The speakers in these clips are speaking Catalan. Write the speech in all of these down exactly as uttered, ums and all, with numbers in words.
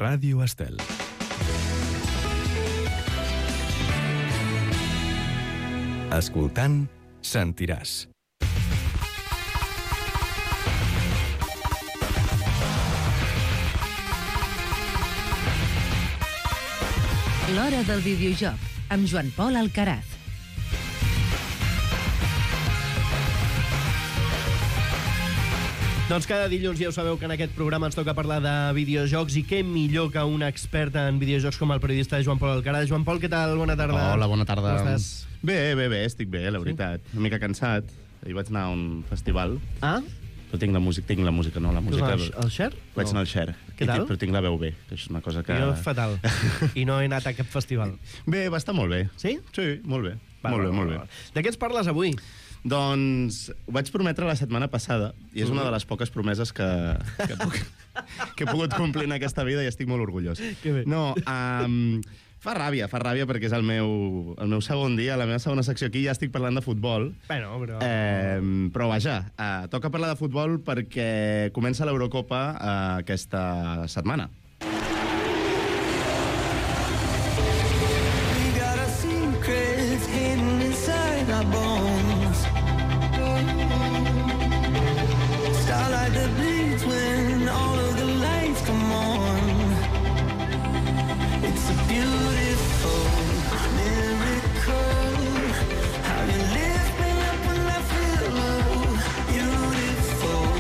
Ràdio Estel. Escoltant, sentiràs. L'Hora del Videojoc, amb Joan Pol Alcaraz. Doncs cada dilluns ja ho sabeu que en aquest programa ens toca parlar de videojocs, i què millor que un expert en videojocs com el periodista Joan Pol Alcaraz. Joan Pol, què tal? Bona tarda. Hola, bona tarda. Com estàs? Bé, bé, bé, estic bé, la veritat. Sí? Una mica cansat. Ahir vaig anar a un festival. Ah? Però tinc la música, tinc la música, no, la música... El, el Cher? Vaig no. anar al Cher. Què tal? I, però tinc la veu bé, que és una cosa que... Jo fatal. I no he anat a cap festival. Bé, va estar molt bé. Sí? Sí, molt bé. Va, molt va, bé, molt va, bé. va. De què ens parles avui? Doncs ho vaig prometre la setmana passada, i és una de les poques promeses que, que, puc, que he pogut complir en aquesta vida, i estic molt orgullós. Que bé. No, um, fa ràbia, fa ràbia perquè és el meu, el meu segon dia, la meva segona secció aquí, ja estic parlant de futbol. Bueno, però... Eh, però vaja, eh, toca parlar de futbol perquè comença l'Eurocopa eh, aquesta setmana. We got our secrets hidden inside our bones. Starlight that bleeds when all of the lights come on. It's a beautiful miracle. How you lift me up when I feel low. Beautiful,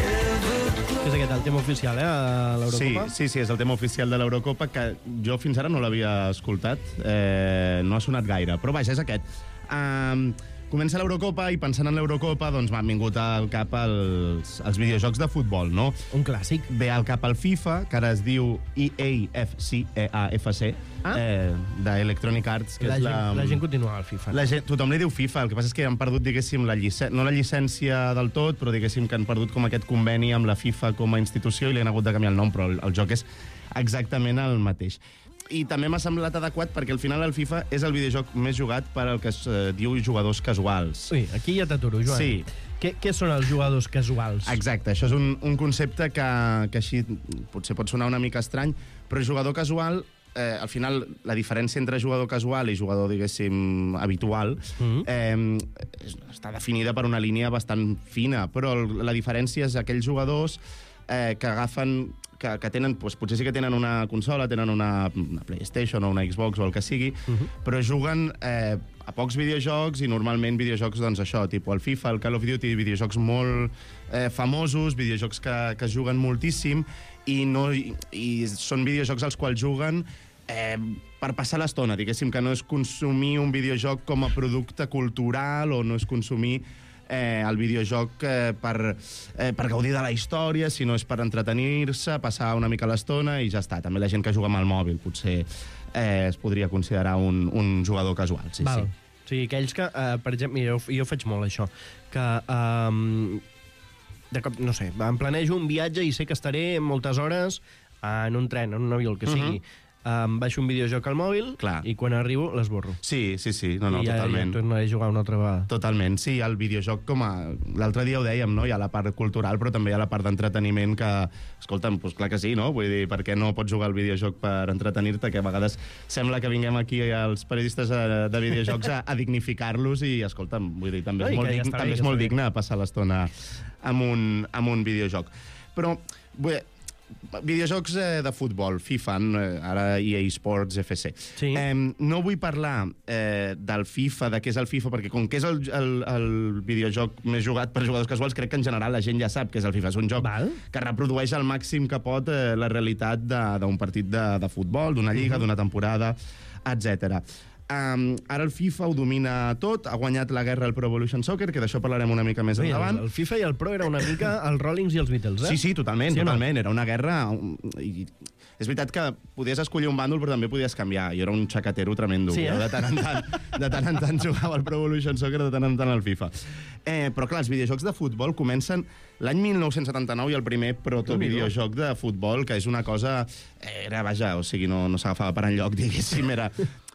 ever. És aquest el tema oficial, eh, a l'Eurocopa? Sí, sí, sí, és el tema oficial de l'Eurocopa, que jo fins ara no l'havia escoltat, eh, no ha sonat gaire, però vaja, és aquest. Um, comença l'Eurocopa i pensant en l'Eurocopa doncs m'han vingut al cap els, els videojocs de futbol, no? Un clàssic. Ve al cap el FIFA, que ara es diu E A F C, E A F C, Ah. eh, d'Electronic Arts, que La és gent, la... la gent continua al FIFA. La gent, tothom li diu FIFA, el que passa és que han perdut, diguéssim, la llicència, no la llicència del tot, però diguéssim que han perdut com aquest conveni amb la FIFA com a institució i li han hagut de canviar el nom, però el, el joc és exactament el mateix. I també m'ha semblat adequat perquè al final el FIFA és el videojoc més jugat per al que es eh, diu jugadors casuals. Ui, aquí ja t'aturo, Joan. Sí. Què, què són els jugadors casuals? Exacte, això és un, un concepte que, que així potser pot sonar una mica estrany, però jugador casual, eh, al final la diferència entre jugador casual i jugador, diguéssim, habitual, Mhm. eh, està definida per una línia bastant fina, però el- la diferència és aquells jugadors eh, que agafen, que, que tenen, doncs, potser sí que tenen una consola, tenen una, una PlayStation o una Xbox o el que sigui, Mhm. però juguen eh, a pocs videojocs i normalment videojocs, doncs això, tipus el FIFA, el Call of Duty, videojocs molt eh, famosos, videojocs que, que es juguen moltíssim i, no, i, i són videojocs als quals juguen eh, per passar l'estona, diguéssim, que no és consumir un videojoc com a producte cultural o no és consumir eh, el videojoc eh, per, eh, per gaudir de la història, sinó és per entretenir-se, passar una mica l'estona i ja està. També la gent que juga amb el mòbil potser eh, es podria considerar un, un jugador casual, sí, Val. sí. O sigui, aquells que, uh, per exemple, jo, jo faig molt això, que um, de cop, no sé, em planejo un viatge i sé que estaré moltes hores en un tren, en un avió, el que sigui. Uh-huh. Um, baixo un videojoc al mòbil. Clar. I quan arribo l'esborro. Sí, sí, sí, no, no, I ja, totalment. ja tornaré a jugar una altra vegada. Totalment, sí, el videojoc com a... L'altre dia ho dèiem, no? Hi ha la part cultural, però també hi ha la part d'entreteniment que... Escolta'm, doncs clar que sí, no? Vull dir, per què no pots jugar al videojoc per entretenir-te? Que a vegades sembla que vinguem aquí els periodistes de videojocs a, a dignificar-los i, escolta'm, vull dir, també No, és i molt, que ja dign, està bé, també que és molt està bé. digne passar l'estona amb un, amb un videojoc. Però, vull dir, videojocs eh, de futbol, FIFA, eh, ara E A Sports F C. Sí. Eh, no vull parlar eh, del FIFA, de què és el FIFA, perquè com que és el, el, el videojoc més jugat per jugadors casuals, crec que en general la gent ja sap que és el FIFA. És un joc Val. que reprodueix al màxim que pot eh, la realitat de- d'un partit de, de futbol, d'una lliga, d'una temporada, etcètera. Um, ara el FIFA ho domina tot, ha guanyat la guerra al Pro Evolution Soccer, que d'això parlarem una mica més Ui, endavant. el, el FIFA i el Pro era una mica els Rollings i els Beatles, eh? Sí, sí, totalment, Sí o no? totalment. Era una guerra... um, I és veritat que podies escollir un bàndol, però també podies canviar. Jo era un xacatero tremendo. Sí, eh? Jo de tant en tant, de tant en tant jugava al Pro Evolution Soccer, de tant en tant al FIFA. Eh, però clar, els videojocs de futbol comencen l'any mil nou-cents setanta-nou i el primer protovideojoc de futbol, que és una cosa... Era, vaja, o sigui, no, no s'agafava per enlloc, diguéssim, era...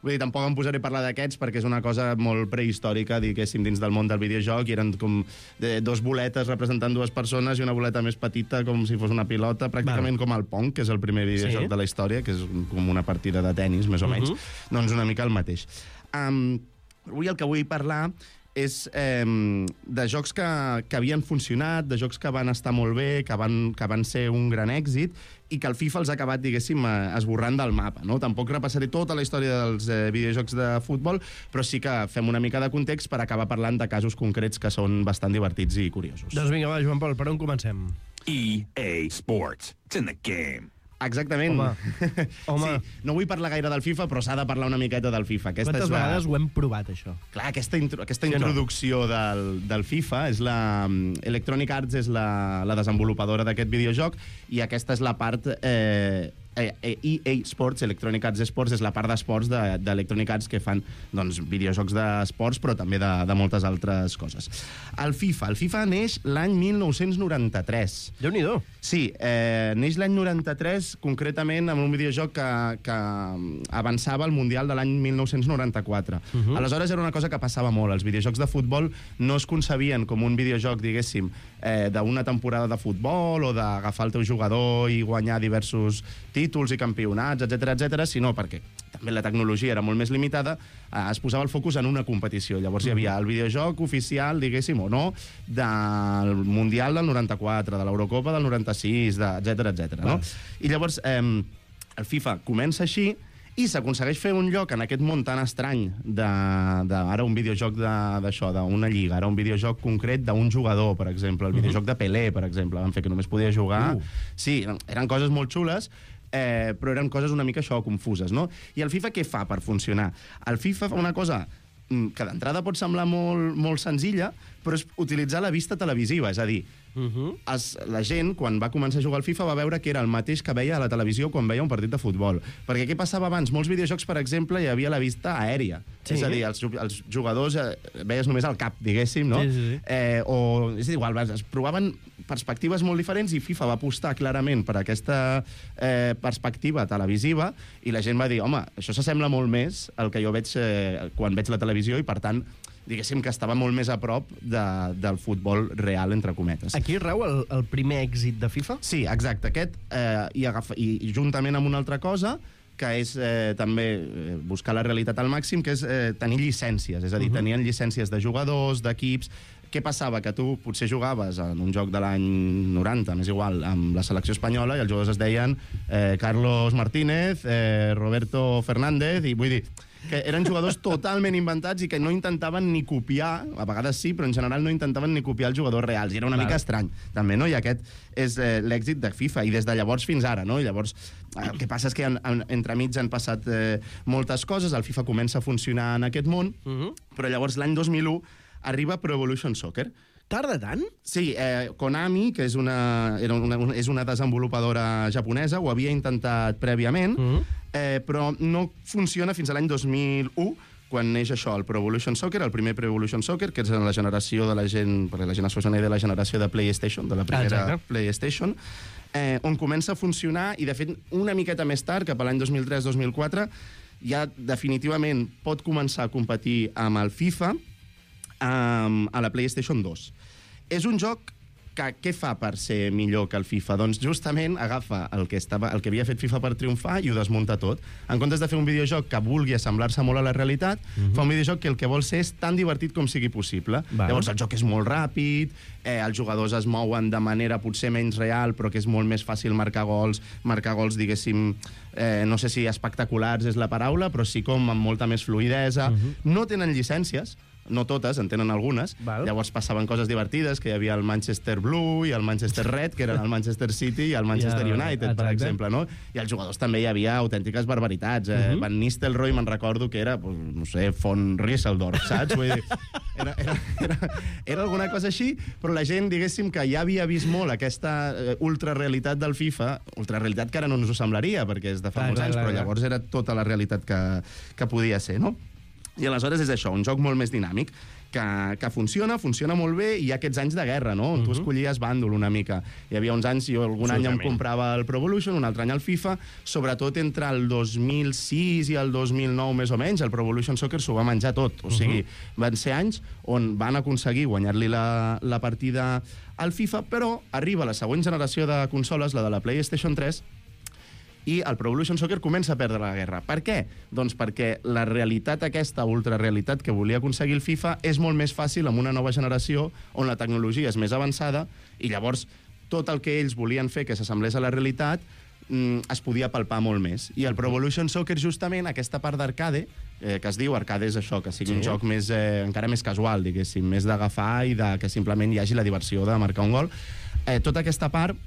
Vull dir, tampoc em posaré a parlar d'aquests perquè és una cosa molt prehistòrica, diguéssim, dins del món del videojoc, i eren com de, dos boletes representant dues persones i una boleta més petita com si fos una pilota, pràcticament com el Pong, que és el primer videojoc Sí. de la història, que és com una partida de tennis, més o menys. Mhm. Doncs una mica el mateix. Um, avui el que vull parlar és eh, de jocs que, que havien funcionat, de jocs que van estar molt bé, que van, que van ser un gran èxit, i que el FIFA els ha acabat, diguéssim, eh, esborrant del mapa. No? Tampoc repassaré tota la història dels eh, videojocs de futbol, però sí que fem una mica de context per acabar parlant de casos concrets que són bastant divertits i curiosos. Doncs vinga, va, Joan Pol, per on comencem? E A Sports. It's in the game. Exactament. Home. Home. Sí, no vull parlar gaire del FIFA, però s'ha de parlar una miqueta del FIFA. Aquesta Quantes és la... vegades ho hem provat, això? Clar, aquesta, intro, aquesta Sí o no? introducció del, del FIFA és la... Electronic Arts és la, la desenvolupadora d'aquest videojoc, i aquesta és la part... Eh, E A Sports, Electronic Arts Sports, és la part d'esports d'Electronic Arts que fan doncs, videojocs d'esports, però també de, de moltes altres coses. El FIFA. El FIFA neix l'any mil nou-cents noranta-tres. Déu-n'hi-do. Sí, eh, neix l'any noranta-tres, concretament amb un videojoc que, que avançava al Mundial de l'any mil nou-cents noranta-quatre. Uh -huh. Aleshores era una cosa que passava molt. Els videojocs de futbol no es concebien com un videojoc, diguéssim, eh, d'una temporada de futbol o d'agafar el teu jugador i guanyar diversos títols i campionats, etcètera, etcètera, sinó perquè també la tecnologia era molt més limitada, eh, es posava el focus en una competició. Llavors hi havia el videojoc oficial, diguéssim, o no, del Mundial del noranta-quatre, de l'Eurocopa del noranta-sis, de, etcètera, etcètera, no? I llavors eh, el FIFA comença així i s'aconsegueix fer un lloc en aquest món tan estrany de, de ara un videojoc d'això, d'una lliga, ara un videojoc concret d'un jugador, per exemple, el videojoc de Pelé, per exemple, van fer que només podia jugar... Uh. Sí, eren, eren coses molt xules, eh, però eren coses una mica això, confuses, no? I el FIFA què fa per funcionar? El FIFA fa una cosa que d'entrada pot semblar molt, molt senzilla, però és utilitzar la vista televisiva, és a dir, Uh -huh. es, la gent, quan va començar a jugar al FIFA, va veure que era el mateix que veia a la televisió quan veia un partit de futbol. Perquè què passava abans? Molts videojocs, per exemple, hi havia la vista aèria. Sí. És a dir, els, els jugadors eh, veies només el cap, diguéssim, no? Sí, sí, sí. Eh, o, és igual, es provaven perspectives molt diferents i FIFA va apostar clarament per aquesta eh, perspectiva televisiva i la gent va dir, home, això s'assembla molt més al que jo veig eh, quan veig la televisió i, per tant, diguéssim que estava molt més a prop de, del futbol real, entre cometes. Aquí rau el, el primer èxit de FIFA? Sí, exacte. Aquest, eh, i, agafa, i, i juntament amb una altra cosa, que és eh, també eh, buscar la realitat al màxim, que és eh, tenir llicències. És a dir, uh -huh. tenien llicències de jugadors, d'equips... Què passava? Que tu potser jugaves en un joc de l'any noranta, m'és igual, amb la selecció espanyola, i els jugadors es deien eh, Carlos Martínez, eh, Roberto Fernández, i vull dir que eren jugadors totalment inventats i que no intentaven ni copiar, a vegades sí, però en general no intentaven ni copiar els jugadors reals, i era una Clar. mica estrany, també, no? I aquest és eh, l'èxit de FIFA, i des de llavors fins ara, no? I llavors, eh, el que passa és que en, en, entremig han passat eh, moltes coses, el FIFA comença a funcionar en aquest món, Uh -huh. però llavors l'any dos mil u arriba Pro Evolution Soccer. Tarda tant? Sí, eh, Konami, que és una, era una, una, és una desenvolupadora japonesa, ho havia intentat prèviament, Uh -huh. eh, però no funciona fins a l'any dos mil u, quan neix això, el Pro Evolution Soccer, el primer Pro Evolution Soccer, que és la generació de la gent, perquè la gent es fa una idea de la generació de PlayStation, de la primera Exacte. PlayStation, eh, on comença a funcionar, i de fet una miqueta més tard, cap a l'any dos mil tres dos mil quatre, ja definitivament pot començar a competir amb el FIFA, Um, a la PlayStation dos. És un joc que què fa per ser millor que el FIFA? Doncs justament agafa el que, estava, el que havia fet FIFA per triomfar i ho desmunta tot. En comptes de fer un videojoc que vulgui assemblar-se molt a la realitat, uh-huh. fa un videojoc que el que vol ser és tan divertit com sigui possible. Val. Llavors el joc és molt ràpid, eh, els jugadors es mouen de manera potser menys real, però que és molt més fàcil marcar gols, marcar gols, diguéssim, eh, no sé si espectaculars és la paraula, però sí com amb molta més fluïdesa. Uh-huh. No tenen llicències, no totes, en tenen algunes. Val. Llavors passaven coses divertides, que hi havia el Manchester Blue i el Manchester Red, que eren el Manchester City i el Manchester Ja, United, exacte. per exemple, no? I els jugadors també hi havia autèntiques barbaritats. Eh? Uh-huh. Van Nistelrooy, me'n recordo que era, pues, no sé, von Rieseldorf, saps? Vull dir, era, era, era, era alguna cosa així, però la gent, diguéssim, que ja havia vist molt aquesta eh, ultrarealitat del FIFA, ultrarealitat que ara no ens ho semblaria, perquè és de fa Clar, molts clar, anys, clar, però clar. llavors era tota la realitat que, que podia ser, no? I aleshores és això, un joc molt més dinàmic, que, que funciona, funciona molt bé, i hi ha aquests anys de guerra, no? On uh-huh. tu escollies bàndol una mica. Hi havia uns anys, jo algun any em comprava el Pro Evolution, un altre any el FIFA, sobretot entre el dos mil sis i el dos mil nou, més o menys, el Pro Evolution Soccer s'ho va menjar tot. O sigui, uh-huh. van ser anys on van aconseguir guanyar-li la, la partida al FIFA, però arriba la següent generació de consoles, la de la PlayStation tres, i el Pro Evolution Soccer comença a perdre la guerra. Per què? Doncs perquè la realitat aquesta, ultrarealitat que volia aconseguir el FIFA, és molt més fàcil amb una nova generació on la tecnologia és més avançada i llavors tot el que ells volien fer que s'assemblés a la realitat mm, es podia palpar molt més. I el Pro Evolution Soccer, justament, aquesta part d'arcade, eh, que es diu arcade és això, que sigui sí. un joc més, eh, encara més casual, diguéssim, més d'agafar i de que simplement hi hagi la diversió de marcar un gol. Eh, tota aquesta part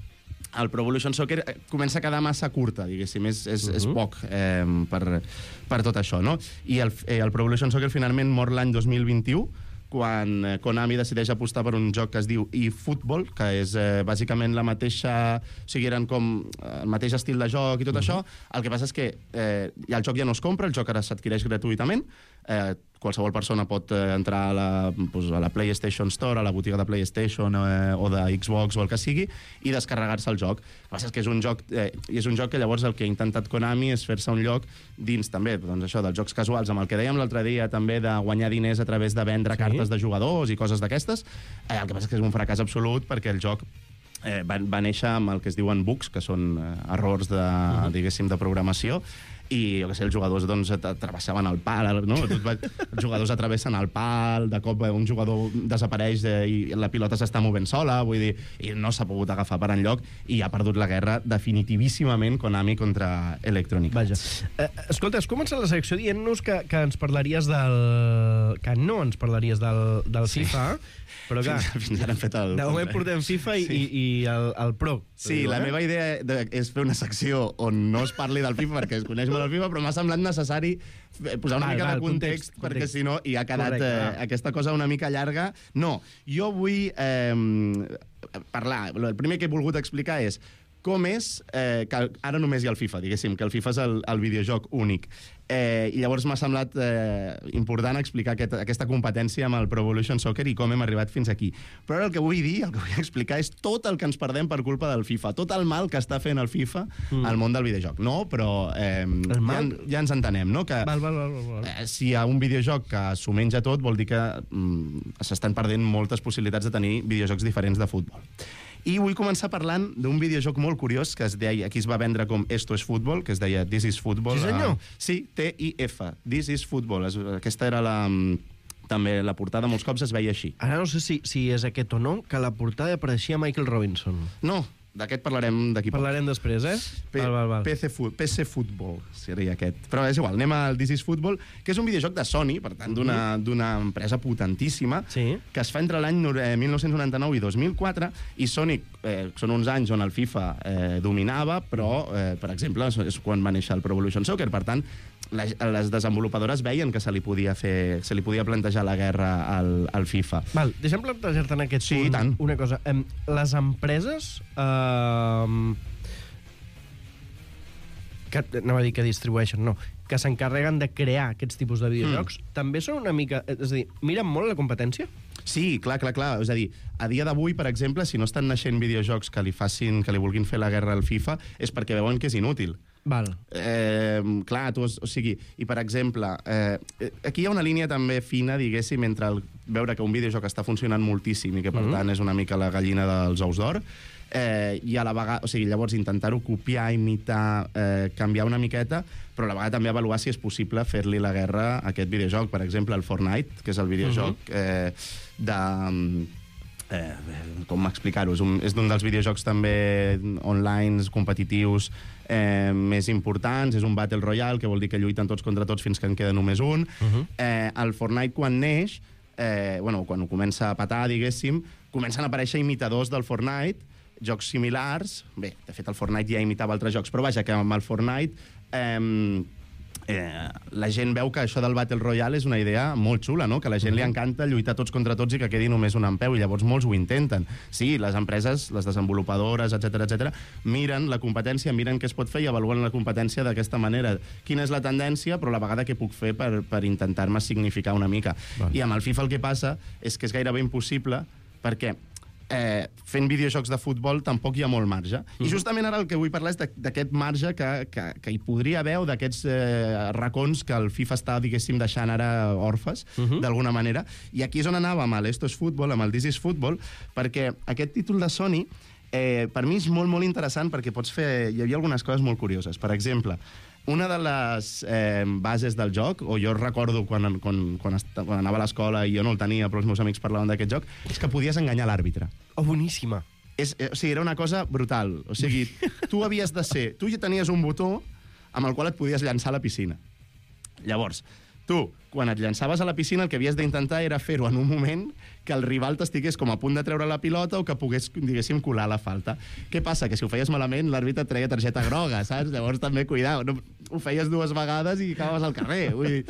el Pro Evolution Soccer comença a quedar massa curta, diguéssim, és, és, uh -huh. és poc eh, per, per tot això, no? I el, eh, el Pro Evolution Soccer finalment mor l'any dos mil vint-i-u, quan eh, Konami decideix apostar per un joc que es diu eFootball, que és eh, bàsicament la mateixa... O sigui, eren com el mateix estil de joc i tot uh -huh. això. El que passa és que eh, el joc ja no es compra, el joc ara s'adquireix gratuïtament, eh, qualsevol persona pot eh, entrar a la, pues, a la PlayStation Store, a la botiga de PlayStation eh, o de Xbox o el que sigui, i descarregar-se el joc. El que passa és que és un joc, eh, i és un joc que llavors el que ha intentat Konami és fer-se un lloc dins també, doncs això, dels jocs casuals, amb el que dèiem l'altre dia també de guanyar diners a través de vendre sí. cartes de jugadors i coses d'aquestes. Eh, el que passa és que és un fracàs absolut perquè el joc eh, va, va néixer amb el que es diuen bugs, que són eh, errors de, uh-huh. diguéssim, de programació, i jo què sé, els jugadors doncs travessaven el pal, no? Els jugadors atravessen el pal, de cop un jugador desapareix eh, i la pilota s'està movent sola, vull dir, i no s'ha pogut agafar per enlloc i ha perdut la guerra definitivíssimament Konami contra Electronic Arts. Vaja. Eh, escolta, has començat la secció dient-nos que, que ens parlaries del... que no ens parlaries del, del sí. FIFA, però clar, fins, fins ara hem fet el... De moment portem FIFA i, sí. i, i el, el Pro. Sí, diu, la eh? meva idea de, és fer una secció on no es parli del FIFA perquè es coneix molt el FIFA, però m'ha semblat necessari posar una val, mica val, de context, context perquè context. Si no hi ha quedat Correcte, eh, aquesta cosa una mica llarga. No, jo vull eh, parlar... El primer que he volgut explicar és com és eh, que ara només hi ha el FIFA, diguéssim, que el FIFA és el, el videojoc únic. Eh, I llavors m'ha semblat eh, important explicar aquest, aquesta competència amb el Pro Evolution Soccer i com hem arribat fins aquí. Però ara el que vull dir, el que vull explicar és tot el que ens perdem per culpa del FIFA, tot el mal que està fent el FIFA mm. al món del videojoc. No, però eh, ja, ja ens entenem, no? Que val, val, val, val. Eh, si hi ha un videojoc que s'ho menja tot, vol dir que mm, s'estan perdent moltes possibilitats de tenir videojocs diferents de futbol. I vull començar parlant d'un videojoc molt curiós que es deia, aquí es va vendre com Esto es Fútbol, que es deia This is Football. Sí, senyor. Uh, sí, T I F, This is Football. Es, aquesta era la... També la portada molts cops es veia així. Ara no sé si, si és aquest o no, que la portada apareixia Michael Robinson. No, d'aquest parlarem d'aquí poc. Parlarem després, eh? P val, val, val. P C, P C Football seria aquest. Però és igual, anem al This is Football, que és un videojoc de Sony, per tant, d'una d'una empresa potentíssima, sí. que es fa entre l'any mil nou-cents noranta-nou i dos mil quatre, i Sony, eh, són uns anys on el FIFA eh, dominava, però, eh, per exemple, és quan va néixer el Pro Evolution Soccer, per tant, les, les desenvolupadores veien que se li podia fer, se li podia plantejar la guerra al, al FIFA. Val, deixa'm plantejar-te en aquest sí, punt tant. una cosa. Um, les empreses... Uh, que, anava a dir que distribueixen, no, que s'encarreguen de crear aquests tipus de videojocs, mm. també són una mica... És a dir, miren molt la competència? Sí, clar, clar, clar. És a dir, a dia d'avui, per exemple, si no estan naixent videojocs que li facin, que li vulguin fer la guerra al FIFA, és perquè veuen que és inútil. Val. Eh, clar, tu, o sigui, i per exemple, eh, aquí hi ha una línia també fina, diguéssim, entre el, veure que un videojoc està funcionant moltíssim i que, per mm-hmm. tant, és una mica la gallina dels ous d'or, eh, i a la vegada, o sigui, llavors intentar-ho copiar, imitar, eh, canviar una miqueta, però a la vegada també avaluar si és possible fer-li la guerra a aquest videojoc. Per exemple, el Fortnite, que és el videojoc mm-hmm. eh, de... Eh, com explicar-ho? És, un, és d'un dels videojocs també online, competitius, eh, més importants. És un Battle Royale, que vol dir que lluiten tots contra tots fins que en queda només un. Uh-huh. eh, el Fortnite, quan neix, eh, bueno, quan ho comença a patar, diguéssim, comencen a aparèixer imitadors del Fortnite, jocs similars. Bé, de fet, el Fortnite ja imitava altres jocs, però vaja, que amb el Fortnite... Eh, eh, la gent veu que això del Battle Royale és una idea molt xula, no? Que a la gent li encanta lluitar tots contra tots i que quedi només un en peu, i llavors molts ho intenten. Sí, les empreses, les desenvolupadores, etcètera, etcètera, miren la competència, miren què es pot fer i avaluen la competència d'aquesta manera. Quina és la tendència, però a la vegada què puc fer per, per intentar-me significar una mica. Val. I amb el FIFA el que passa és que és gairebé impossible, perquè Eh, fent videojocs de futbol tampoc hi ha molt marge. Mm. I justament ara el que vull parlar és d'aquest marge que, que, que hi podria haver, o d'aquests eh, racons que el FIFA està, diguéssim, deixant ara orfes, mm -hmm. d'alguna manera. I aquí és on anava amb l'Esto es Fútbol, amb el This is Football, perquè aquest títol de Sony eh, per mi és molt, molt interessant, perquè pots fer... Hi havia algunes coses molt curioses. Per exemple, una de les eh, bases del joc, o jo recordo quan, quan, quan, quan anava a l'escola i jo no el tenia, però els meus amics parlaven d'aquest joc, és que podies enganyar l'àrbitre. Oh, boníssima. És, o sigui, era una cosa brutal. O sigui, tu havies de ser... Tu ja tenies un botó amb el qual et podies llançar a la piscina. Llavors, tu, quan et llançaves a la piscina, el que havies d'intentar era fer-ho en un moment que el rival t'estigués com a punt de treure la pilota o que pogués, diguéssim, colar la falta. Què passa? Que si ho feies malament, l'àrbitre et treia targeta groga, saps? Llavors també, cuidao, no, ho feies dues vegades i acabaves al carrer. Vull dir,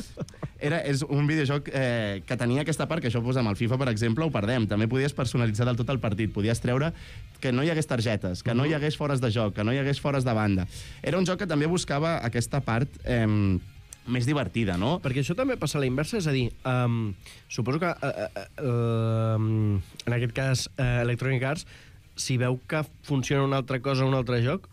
era, és un videojoc eh, que tenia aquesta part, que això pues, amb el FIFA, per exemple, ho perdem. També podies personalitzar del tot el partit, podies treure que no hi hagués targetes, que no hi hagués fores de joc, que no hi hagués fores de banda. Era un joc que també buscava aquesta part... Eh, més divertida, no? Perquè això també passa a la inversa, és a dir, um, suposo que uh, uh, um, en aquest cas uh, Electronic Arts, si veu que funciona una altra cosa o un altre joc,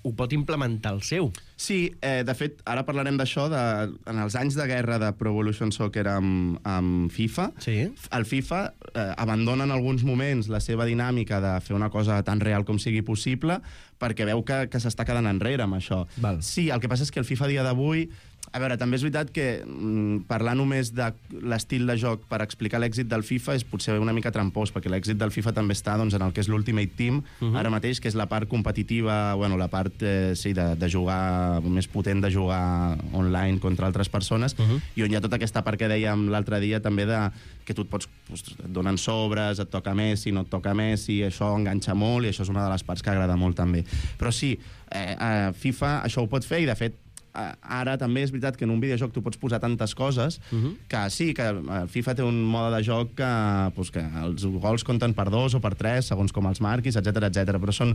ho pot implementar el seu. Sí, eh, de fet, ara parlarem d'això, de, en els anys de guerra de Pro Evolution Soccer amb, amb FIFA, Sí. el FIFA eh, abandona en alguns moments la seva dinàmica de fer una cosa tan real com sigui possible perquè veu que, que s'està quedant enrere amb això. Val. Sí, el que passa és que el FIFA a dia d'avui... A veure, també és veritat que mm, parlar només de l'estil de joc per explicar l'èxit del FIFA és potser una mica trampós, perquè l'èxit del FIFA també està doncs, en el que és l'Ultimate Team, uh-huh. ara mateix, que és la part competitiva, bueno, la part eh, sí, de, de jugar, més potent de jugar online contra altres persones, uh-huh. i on hi ha tota aquesta part que dèiem l'altre dia també de que tu et pots, doncs, et donen sobres, et toca Messi, no et toca Messi, això enganxa molt, i això és una de les parts que agrada molt també. Però sí, eh, a FIFA això ho pot fer, i de fet ara també és veritat que en un videojoc tu pots posar tantes coses uh-huh. que sí, que el FIFA té un mode de joc que, pues, que els gols compten per dos o per tres, segons com els marquis, etcètera, etcètera. Però són,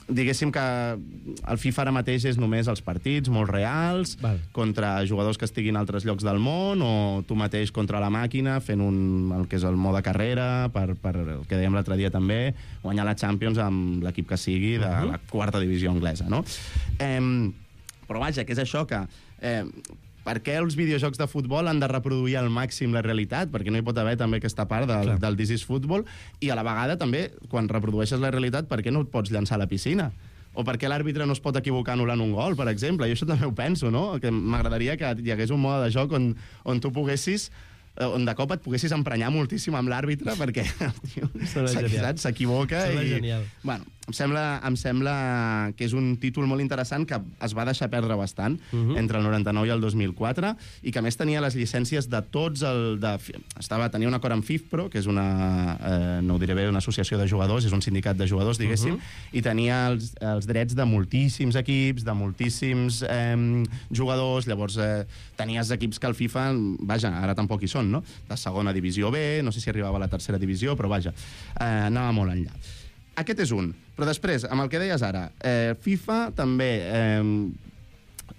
diguéssim que el FIFA ara mateix és només els partits molt reals, Val. contra jugadors que estiguin a altres llocs del món, o tu mateix contra la màquina fent un, el que és el mode carrera, per, per el que dèiem l'altre dia també, guanyar la Champions amb l'equip que sigui de uh-huh. la quarta divisió anglesa, no? Eh, Però vaja, que és això que... Eh, per què els videojocs de futbol han de reproduir al màxim la realitat? Perquè no hi pot haver també aquesta part del, del This is Football, i a la vegada també, quan reprodueixes la realitat, per què no et pots llançar a la piscina? O per què l'àrbitre no es pot equivocar anul·lant un gol, per exemple? Jo això també ho penso, no? Que m'agradaria que hi hagués un mode de joc on, on tu poguessis on de cop et poguessis emprenyar moltíssim amb l'àrbitre perquè s'equivoca i... Genial. Bueno, em sembla, em sembla que és un títol molt interessant que es va deixar perdre bastant uh-huh. entre el noranta-nou i el dos mil quatre, i que a més tenia les llicències de tots el... De, estava, tenia un acord amb FIFPro, que és una, eh, no ho diré bé, una associació de jugadors, és un sindicat de jugadors, diguéssim, uh-huh. i tenia els, els drets de moltíssims equips, de moltíssims eh, jugadors, llavors eh, tenies equips que el FIFA, vaja, ara tampoc hi són, no? De segona divisió B, no sé si arribava a la tercera divisió, però vaja, eh, anava molt enllà. Aquest és un. Però després, amb el que deies ara, eh, FIFA també eh,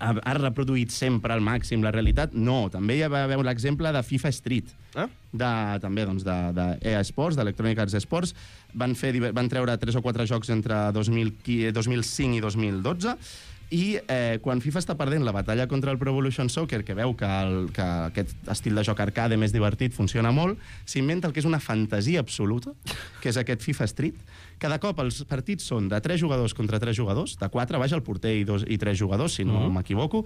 ha, ha reproduït sempre al màxim la realitat? No, també hi va haver l'exemple de FIFA Street, ah? de, també doncs, de, de E A Sports, d'Electronic Arts Sports. Van, fer, van treure tres o quatre jocs entre dos mil cinc i dos mil dotze, i eh, quan FIFA està perdent la batalla contra el Pro Evolution Soccer, que veu que, el, que aquest estil de joc arcade més divertit funciona molt, s'inventa el que és una fantasia absoluta, que és aquest FIFA Street. Cada cop els partits són de tres jugadors contra tres jugadors, de quatre, vaja, el porter i, dos, i tres jugadors, si no uh-huh. m'equivoco,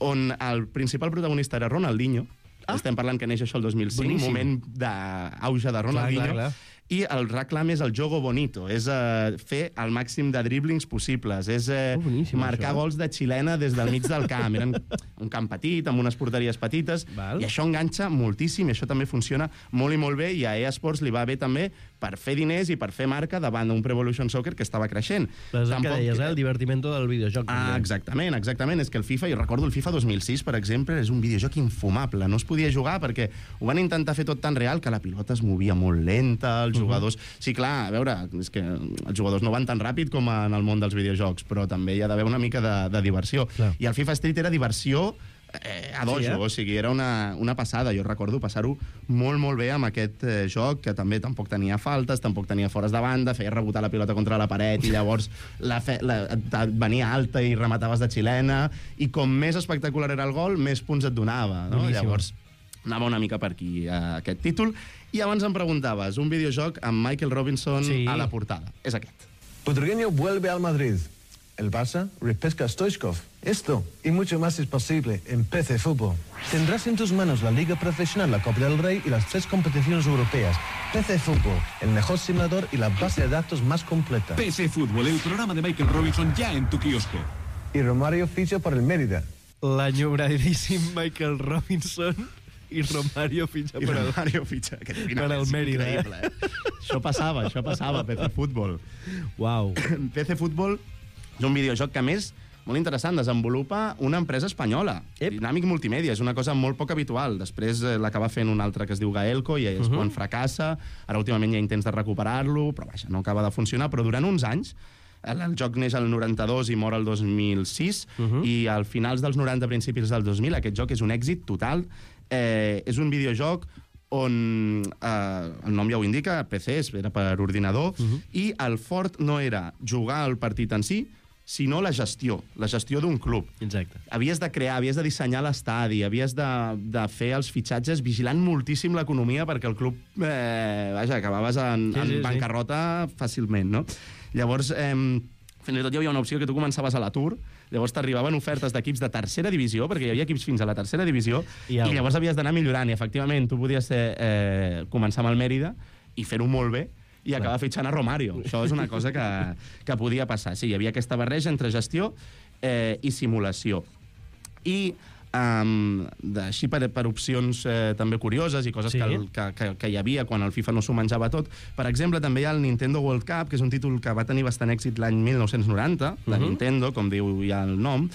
on el principal protagonista era Ronaldinho. Ah. Estem parlant que neix això el dos mil cinc, Boníssim. moment d'auge de Ronaldinho. Clar, clar, clar. i el reclam és el jogo bonito, és eh, fer el màxim de driblings possibles, és eh, Oh, boníssim, marcar això. gols de xilena des del mig del camp. Eren un camp petit, amb unes porteries petites, Val. i això enganxa moltíssim, i això també funciona molt i molt bé, i a EA Sports li va bé també per fer diners i per fer marca davant d'un Pro Evolution Soccer que estava creixent. Però és el que deies, eh? El divertimento del videojoc. Ah, també. exactament, exactament. És que el FIFA, jo recordo el FIFA dos mil sis, per exemple, és un videojoc infumable. No es podia jugar perquè ho van intentar fer tot tan real que la pilota es movia molt lenta, els jugadors... Sí, clar, a veure, és que els jugadors no van tan ràpid com en el món dels videojocs, però també hi ha d'haver una mica de, de diversió. Clar. I el FIFA Street era diversió eh, a dojo, Sí, eh? o sigui, era una, una passada. Jo recordo passar-ho molt, molt bé amb aquest eh, joc, que també tampoc tenia faltes, tampoc tenia fores de banda, feia rebotar la pilota contra la paret i llavors la fe, la, et venia alta i remataves de xilena, i com més espectacular era el gol, més punts et donava, no? Boníssim. Llavors, anava una mica per aquí, eh, aquest títol. I abans em preguntaves, un videojoc amb Michael Robinson Sí. a la portada. És aquest. Butragueño vuelve al Madrid. El Barça repesca a Stoichkov. Esto y mucho más es posible en P C Fútbol. Tendrás en tus manos la Liga Profesional, la Copa del Rey y las tres competiciones europeas. P C Fútbol, el mejor simulador y la base de datos más completa. P C Fútbol, el programa de Michael Robinson ya en tu kiosco. Y Romario ficha por el Mérida. L'enyoradíssim Michael Robinson i Romario fitxa I per el... Romario fitxa. Que per al Mérida, eh? Increïble, eh? Això passava, això passava a P C Fútbol. Uau. P C Fútbol és un videojoc que, a més, molt interessant, desenvolupa una empresa espanyola, Ep. Dynamic Multimèdia, és una cosa molt poc habitual. Després eh, l'acaba fent un altre que es diu Gaelco i és uh -huh. quan fracassa. Ara últimament hi ha intents de recuperar-lo, però vaja, no acaba de funcionar. Però durant uns anys, el, el joc neix al noranta-dos i mor el dos mil sis, uh -huh. i al finals dels noranta, principis del dos mil, aquest joc és un èxit total. Eh, és un videojoc on, eh, el nom ja ho indica, P C, era per ordinador, uh -huh. i el fort no era jugar el partit en si, sinó la gestió, la gestió d'un club. Exacte. Havies de crear, havies de dissenyar l'estadi, havies de, de fer els fitxatges vigilant moltíssim l'economia perquè el club, eh, vaja, acabaves en, Sí, en sí, sí. bancarrota fàcilment, no? Llavors, eh, fins i tot hi havia una opció que tu començaves a l'atur, llavors t'arribaven ofertes d'equips de tercera divisió, perquè hi havia equips fins a la tercera divisió, I i, au. i llavors havies d'anar millorant, i efectivament tu podies ser, eh, començar amb el Mérida i fer-ho molt bé, i acabar fitxant a Romario. Això és una cosa que, que podia passar. Sí, hi havia aquesta barreja entre gestió eh, i simulació. I um, així per, per opcions eh, també curioses i coses Sí. que, el, que, que, que hi havia quan el FIFA no s'ho menjava tot. Per exemple, també hi ha el Nintendo World Cup, que és un títol que va tenir bastant èxit l'any mil nou-cents noranta, de Mhm. Nintendo, com diu ja el nom.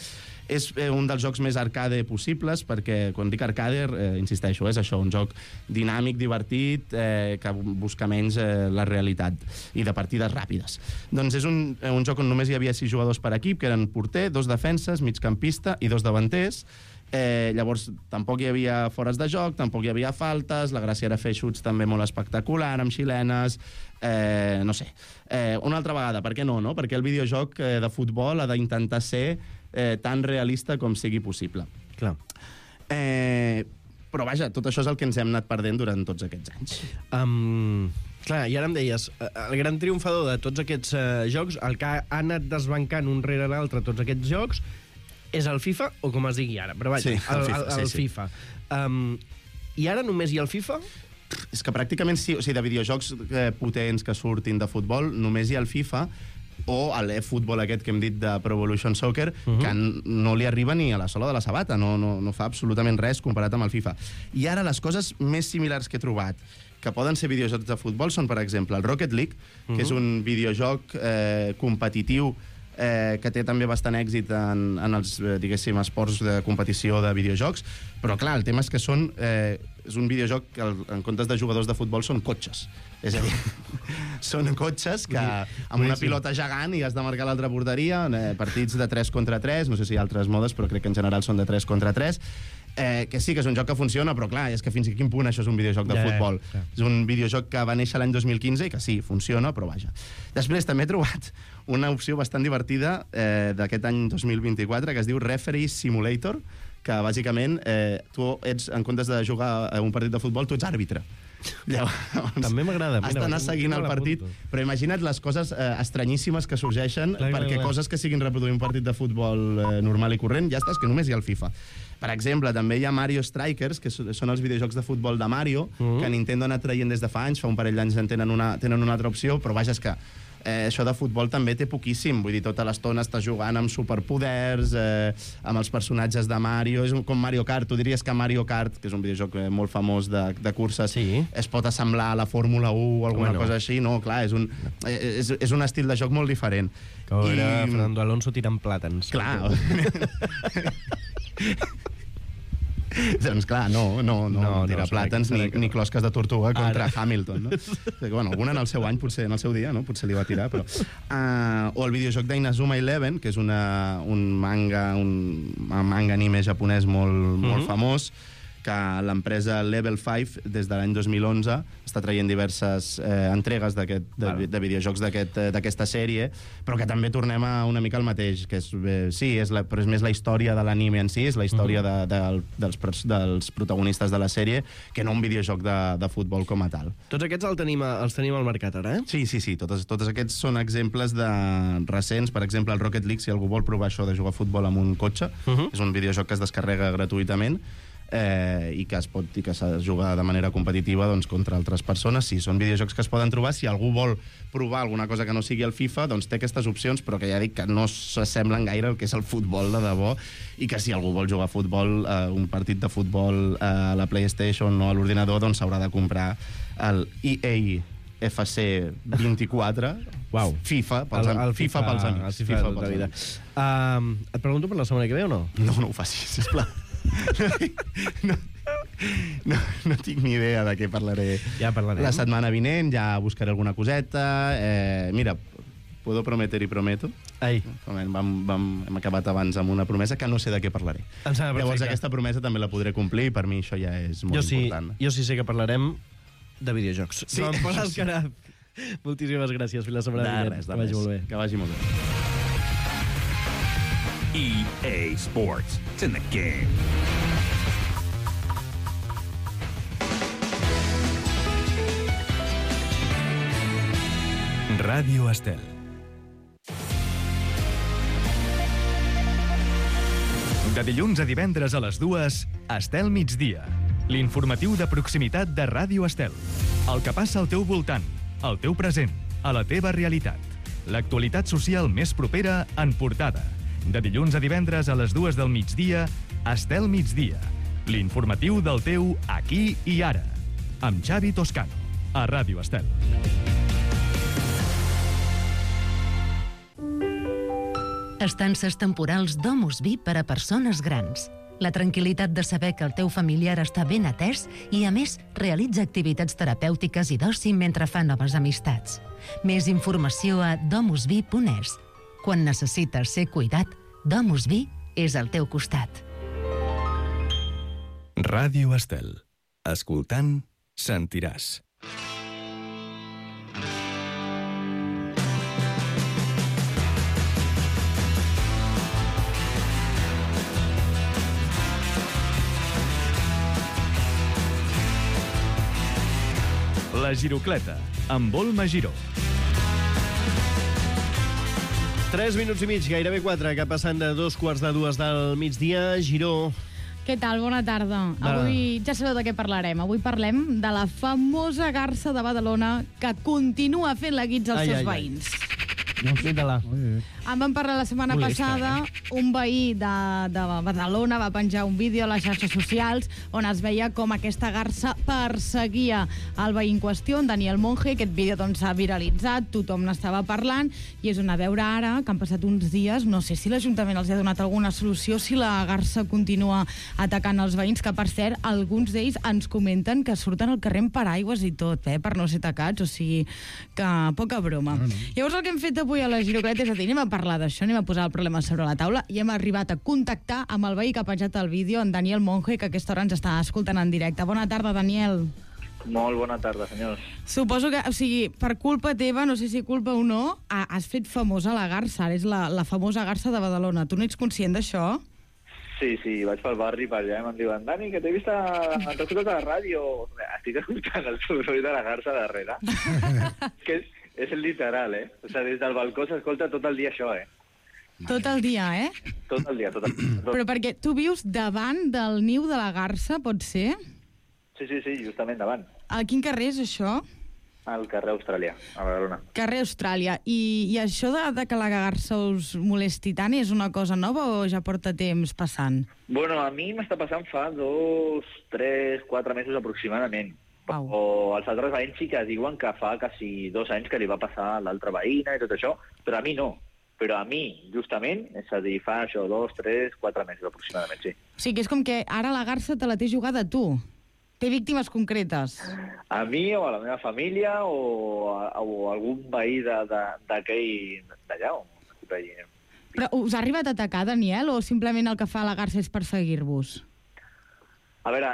És eh, un dels jocs més arcade possibles, perquè quan dic arcade, eh, insisteixo, és això, un joc dinàmic, divertit, eh, que busca menys eh, la realitat, i de partides ràpides. Doncs és un, eh, un joc on només hi havia sis jugadors per equip, que eren porter, dos defenses, migcampista i dos davanters. Eh, llavors, tampoc hi havia fores de joc, tampoc hi havia faltes, la gràcia era fer xuts també molt espectacular, amb xilenes, eh, no sé. Eh, una altra vegada, per què no, no? Perquè el videojoc eh, de futbol ha d'intentar ser eh, tan realista com sigui possible. Clar. Eh, però vaja, tot això és el que ens hem anat perdent durant tots aquests anys. Um, clar, i ara em deies, eh, el gran triomfador de tots aquests uh, jocs, el que ha anat desbancant un rere l'altre tots aquests jocs, és el FIFA, o com es digui ara, però vaja, Sí, el el, FIFA, el, sí, el sí. FIFA. Um, I ara només hi ha el FIFA? És que pràcticament sí, o sigui, de videojocs eh, potents que surtin de futbol, només hi ha el FIFA o l'eFootball aquest que hem dit de Pro Evolution Soccer, uh -huh. que n- no li arriba ni a la sola de la sabata, no, no, no fa absolutament res comparat amb el FIFA. I ara les coses més similars que he trobat que poden ser videojocs de futbol són, per exemple, el Rocket League, que uh -huh. és un videojoc eh, competitiu eh, que té també bastant èxit en, en els, eh, diguéssim, esports de competició de videojocs, però clar, el tema és que són, eh, és un videojoc que el, en comptes de jugadors de futbol són cotxes. És a dir, són cotxes que amb una pilota gegant i has de marcar l'altra porteria, eh, partits de tres contra tres, no sé si hi ha altres modes, però crec que en general són de tres contra tres, eh, que sí que és un joc que funciona, però clar, és que fins a quin punt això és un videojoc de Ja, futbol. ja. És un videojoc que va néixer l'any dos mil quinze i que sí, funciona, però vaja. Després també he trobat una opció bastant divertida eh, d'aquest any dos mil vint-i-quatre que es diu Referee Simulator, que bàsicament eh, tu ets, en comptes de jugar a un partit de futbol, tu ets àrbitre. Llavors, També m'agrada. has d'anar seguint el partit, però imagina't les coses eh, estranyíssimes que sorgeixen, Clar, clar, perquè clar. coses que siguin reproduir un partit de futbol eh, normal i corrent, ja està, és que només hi ha el FIFA. Per exemple, també hi ha Mario Strikers, que so- són els videojocs de futbol de Mario, Mm. que Nintendo ha anat traient des de fa anys, fa un parell d'anys en tenen una, tenen una altra opció, però vaja, és que eh, això de futbol també té poquíssim, vull dir, tota l'estona està jugant amb superpoders, eh, amb els personatges de Mario, és un- com Mario Kart, tu diries que Mario Kart, que és un videojoc eh, molt famós de, de curses, Sí. es pot assemblar a la Fórmula u o alguna Home, no. cosa així, no, clar, és un, eh, és, és un estil de joc molt diferent. Que veure Fernando Alonso tirant plàtans. Clar. Doncs clar, no, no, no, No, no no, tirar serà plàtans que- serà ni, que ni no. closques de tortuga contra Ara. Hamilton, no? Que, bueno, alguna en el seu any, potser en el seu dia, no? Potser li va tirar, però... Uh, o el videojoc d'Inazuma Eleven, que és una, un manga, un manga anime japonès molt, molt Mhm. famós, que l'empresa Level cinc, des de l'any dos mil onze, està traient diverses eh, entregues d'aquest, de, Val. de videojocs d'aquest, eh, d'aquesta sèrie, però que també tornem a una mica al mateix, que és, eh, sí, és la, però és més la història de l'anime en si, és la història de, de, dels, pers- dels protagonistes de la sèrie, que no un videojoc de, de futbol com a tal. Tots aquests els tenim, a- els tenim al mercat ara, eh? Sí, sí, sí, totes, tots aquests són exemples de recents. Per exemple, el Rocket League, si algú vol provar això de jugar a futbol amb un cotxe, Uh -huh. és un videojoc que es descarrega gratuïtament eh, i que es pot i que s'ha de jugar de manera competitiva doncs, contra altres persones. Sí, són videojocs que es poden trobar. Si algú vol provar alguna cosa que no sigui el FIFA, doncs té aquestes opcions, però que ja dic que no s'assemblen gaire al que és el futbol de debò, i que si algú vol jugar a futbol, eh, un partit de futbol eh, a la PlayStation o a l'ordinador, doncs s'haurà de comprar el E A F C vint-i-quatre, Uau. FIFA, pels, am- FIFA, pels amics. El FIFA, de tota la vida. amics. Um, et pregunto per la setmana que ve o no? No, no ho facis, sisplau. No, no, no tinc ni idea de què parlaré Ja parlarem. la setmana vinent, ja buscaré alguna coseta. Eh, mira, puedo prometer y prometo. Ai, Vam, vam, hem acabat abans amb una promesa que no sé de què parlaré. em sembla Llavors perfecte. aquesta promesa també la podré complir i per mi això ja és molt jo sí, important. jo sí sé que parlarem de videojocs. Sí, Joan Pol això sí. Alcaraz, moltíssimes gràcies. Fins la setmana De vinent. res, de Que vagi res. molt bé. Que vagi molt bé. E A Sports. It's in the game. Ràdio Estel. De dilluns a divendres a les dues, Estel migdia. L'informatiu de proximitat de Ràdio Estel. El que passa al teu voltant, al teu present, a la teva realitat. L'actualitat social més propera en portada. De dilluns a divendres a les dues del migdia, Estel migdia. L'informatiu del teu aquí i ara. Amb Xavi Toscano, a Ràdio Estel. Estances temporals Domus Vi per a persones grans. La tranquil·litat de saber que el teu familiar està ben atès i, a més, realitza activitats terapèutiques i d'oci mentre fa noves amistats. Més informació a domusvi punt es. Quan necessites ser cuidat, Domus Vi és al teu costat. Ràdio Estel. Escoltant, sentiràs. La Girocleta, amb Volma Giró. Tres minuts i mig, gairebé quatre, que passen de dos quarts de dues del migdia. Giró, Què tal? Bona tarda. Va. Avui ja sabeu de què parlarem. Avui parlem de la famosa garsa de Badalona que continua fent la guitza als Ai, seus ai, ai. veïns. explica-la. En vam parlar la setmana Molesta, passada. Un veí de, de Badalona va penjar un vídeo a les xarxes socials on es veia com aquesta garsa perseguia el veí en qüestió, en Daniel Monge. Aquest vídeo doncs, s'ha viralitzat, tothom n'estava parlant, i és on a veure ara, que han passat uns dies, no sé si l'Ajuntament els ha donat alguna solució, si la garsa continua atacant els veïns, que per cert, alguns d'ells ens comenten que surten al carrer amb paraigües i tot, eh, per no ser atacats, o sigui que poca broma. No, no. Llavors el que hem fet avui a la Girocleta és a dir, anem a parlar d'això, anem a posar el problema sobre la taula, i hem arribat a contactar amb el veí que ha penjat el vídeo, en Daniel Monge, que a aquesta hora ens està escoltant en directe. Bona tarda, Daniel. Molt bona tarda, senyors. Suposo que, o sigui, per culpa teva, no sé si culpa o no, ha- has fet famosa la garsa, ara és la, la famosa garsa de Badalona. Tu no ets conscient d'això? Sí, sí, vaig pel barri per allà i me'n diuen Dani, que t'he vist a... t'he escoltat a la ràdio. Estic escoltant el soroll de la garça darrere. Que és, és literal, eh? O sigui, des del balcó s'escolta tot el dia això, eh? Tot el dia, eh? Tot el dia, tot el dia. Tot... Però perquè tu vius davant del niu de la garça, pot ser? Sí, sí, sí, justament davant. A quin carrer és això? Al carrer Austràlia, a Badalona. Carrer Austràlia. I, i això de, de que la garça us molesti tant és una cosa nova o ja porta temps passant? Bueno, a mi m'està passant fa dos, tres, quatre mesos aproximadament. Au. O els altres veïns sí que diuen que fa quasi dos anys que li va passar a l'altra veïna i tot això, però a mi no. Però a mi, justament, és a dir, fa això, dos, tres, quatre mesos aproximadament, sí. O sigui, que és com que ara la garça te la té jugada tu. Té víctimes concretes. A mi o a la meva família o, a, o algun veí d'aquell d'allà. Però us ha arribat a atacar, Daniel, o simplement el que fa la garça és perseguir-vos? A veure,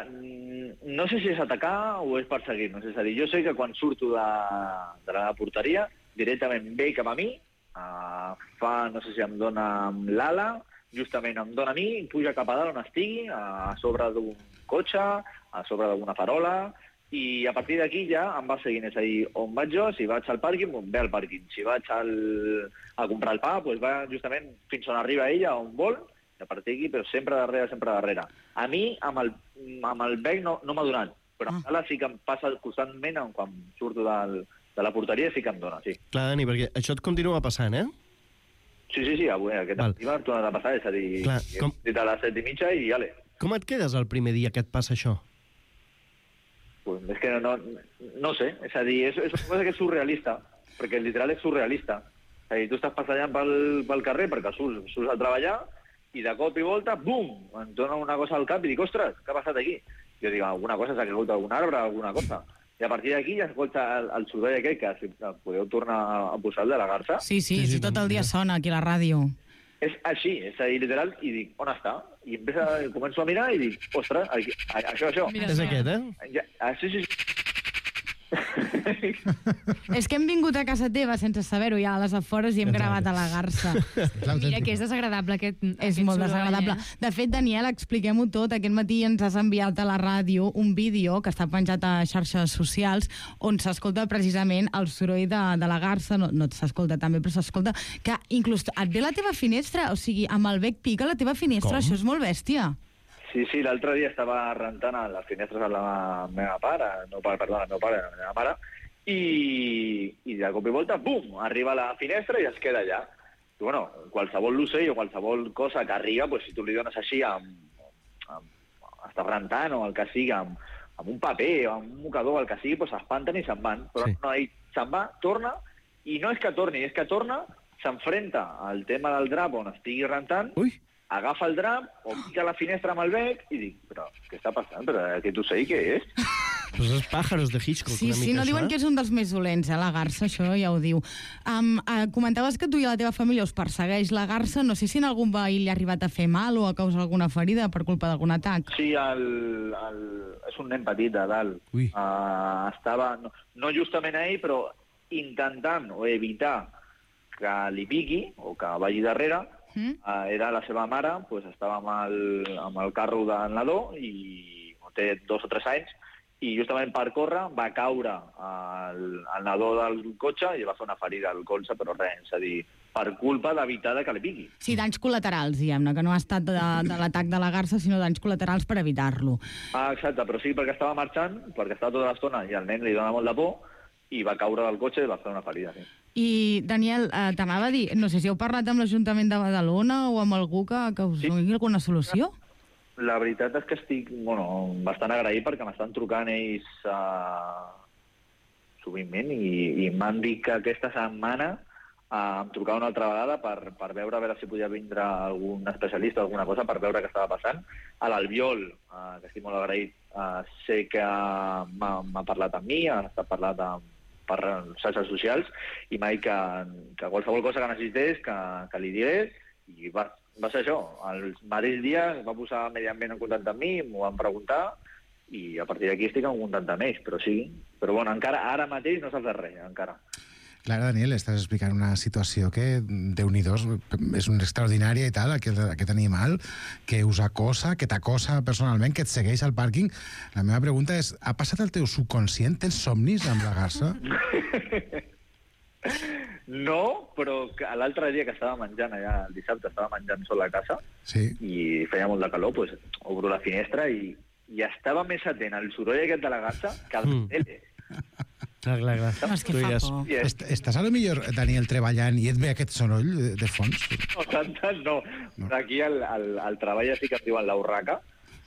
no sé si és atacar o és perseguir-nos. És a dir, jo sé que quan surto de, de la porteria, directament ve cap a mi, uh, fa, no sé si em dona amb l'ala, justament em dona a mi, puja cap a dalt on estigui, a sobre d'un cotxe, a sobre d'alguna farola, i a partir d'aquí ja em va seguint. És a dir, on vaig jo, si vaig al pàrquing, ve al pàrquing. Si vaig al, a comprar el pa, doncs va justament fins on arriba ella, on vol, i a partir d'aquí, però sempre darrere, sempre darrere. A mi, amb el, amb el bec no, no m'ha donat, però ah. Ara sí que em passa constantment quan surto del, de la porteria, sí que em dona, sí. Clar, Dani, perquè això et continua passant, eh? Sí, sí, sí, avui aquest matí m'ha tornat a passar, és a dir, Clar, com... dit a les set i mitja i ale. Com et quedes el primer dia que et passa això? Pues és que no, no, no sé, és a dir, és, és una cosa que és surrealista, perquè literal és surrealista. És a dir, tu estàs passejant pel, pel carrer perquè surts, surts a treballar i de cop i volta, bum, em dona una cosa al cap i dic, ostres, què ha passat aquí? Jo dic, alguna cosa s'ha caigut algun arbre, alguna cosa. I a partir d'aquí ja escolta el, el soroll aquell que si podeu tornar a posar el de la garça. Sí, sí, sí, sí tot el dia sona aquí a la ràdio. És així, és a dir, literal, i dic, on està? I empieza, començo a mirar i dic, ostres, aquí, això, això. Mira, és aquest, eh? Ja, ah, sí, sí, sí. És que hem vingut a casa teva sense saber-ho ja a les afores i hem gravat a la garça. Mira que és desagradable aquest, És aquest molt soroll, desagradable. Eh? De fet, Daniel, expliquem-ho tot. Aquest matí ens has enviat a la ràdio un vídeo que està penjat a xarxes socials on s'escolta precisament el soroll de, de la garça. No, no s'escolta també, però s'escolta que inclús et ve la teva finestra, o sigui, amb el bec pica la teva finestra. Com? Això és molt bèstia. Sí, sí, l'altre dia estava rentant a les finestres de la meva pare, no, perdó, el meu pare, la meva mare, i, i de cop i volta, bum, arriba a la finestra i es queda allà. I, bueno, qualsevol l'ocell o qualsevol cosa que arriba, pues, si tu li dones així, amb, amb, estàs rentant o el que sigui, amb, amb un paper o amb un mocador, el que sigui, pues, s'espanten i se'n van. Però Sí. no, ell se'n va, torna, i no és que torni, és que torna, s'enfrenta al tema del drap on estigui rentant, Ui! agafa el drap o pica la finestra amb el bec i dic, però què està passant? Però aquest ocell què és? Pues els pájaros de Hitchcock, Sí, una sí, mica, no això, diuen eh? que és un dels més dolents, eh, la garça, això ja ho diu. Um, uh, comentaves que tu i la teva família us persegueix la garça. No sé si en algun veí li ha arribat a fer mal o a causar alguna ferida per culpa d'algun atac. Sí, el, el, és un nen petit de dalt. Ui. Uh, estava, no, no justament a ell, però intentant o evitar que li piqui o que vagi darrere. Mm? Uh, era la seva mare, pues, estava amb el, amb el carro del nadó i té dos o tres anys, i justament per córrer va caure al, al nadó del cotxe i va fer una ferida al colze, però res, és a dir, per culpa d'evitar que li piqui. Sí, danys col·laterals, diguem-ne, que no ha estat de, de l'atac de la garça, sinó danys col·laterals per evitar-lo. Ah, exacte, però sí perquè estava marxant, perquè estava tota l'estona i al nen li dona molt de por, i va caure del cotxe i va fer una ferida, sí. I, Daniel, eh, t'anava a dir, no sé si heu parlat amb l'Ajuntament de Badalona o amb algú que, que us Sí. doni alguna solució? La veritat és que estic, bueno, bastant agraït perquè m'estan trucant ells uh, sovintment i, i m'han dit que aquesta setmana uh, em trucava una altra vegada per, per veure a veure si podia vindre algun especialista o alguna cosa per veure què estava passant. A l'Albiol, uh, que estic molt agraït, uh, sé que m'ha, m'ha parlat amb mi, ha estat parlat amb, per xarxes socials i m'ha dit que, que qualsevol cosa que necessités que, que li digués i va, va ser això. El mateix dia va posar Medi Ambient en contacte amb mi, m'ho van preguntar i a partir d'aquí estic en contacte amb ells, però sí. Però bueno, encara ara mateix no s'ha fet res, encara. Clar, Daniel, estàs explicant una situació que, déu-n'hi-do, és un extraordinària i tal, aquest, aquest animal que us acosa, que t'acosa personalment, que et segueix al pàrquing. La meva pregunta és, ha passat el teu subconscient? Tens somnis amb la garça? No, però que l'altre dia que estava menjant allà, el dissabte, estava menjant sol a casa sí. i feia molt de calor, doncs obro la finestra i, i estava més atent al soroll aquest de la garça que al mm. tele. Clar, clar, clar. No, és que fa por. Est estàs a lo millor, Daniel, treballant i et ve aquest soroll de, de fons? No, tant, tant no. no. Aquí al, al, al treball sí que em diuen la urraca,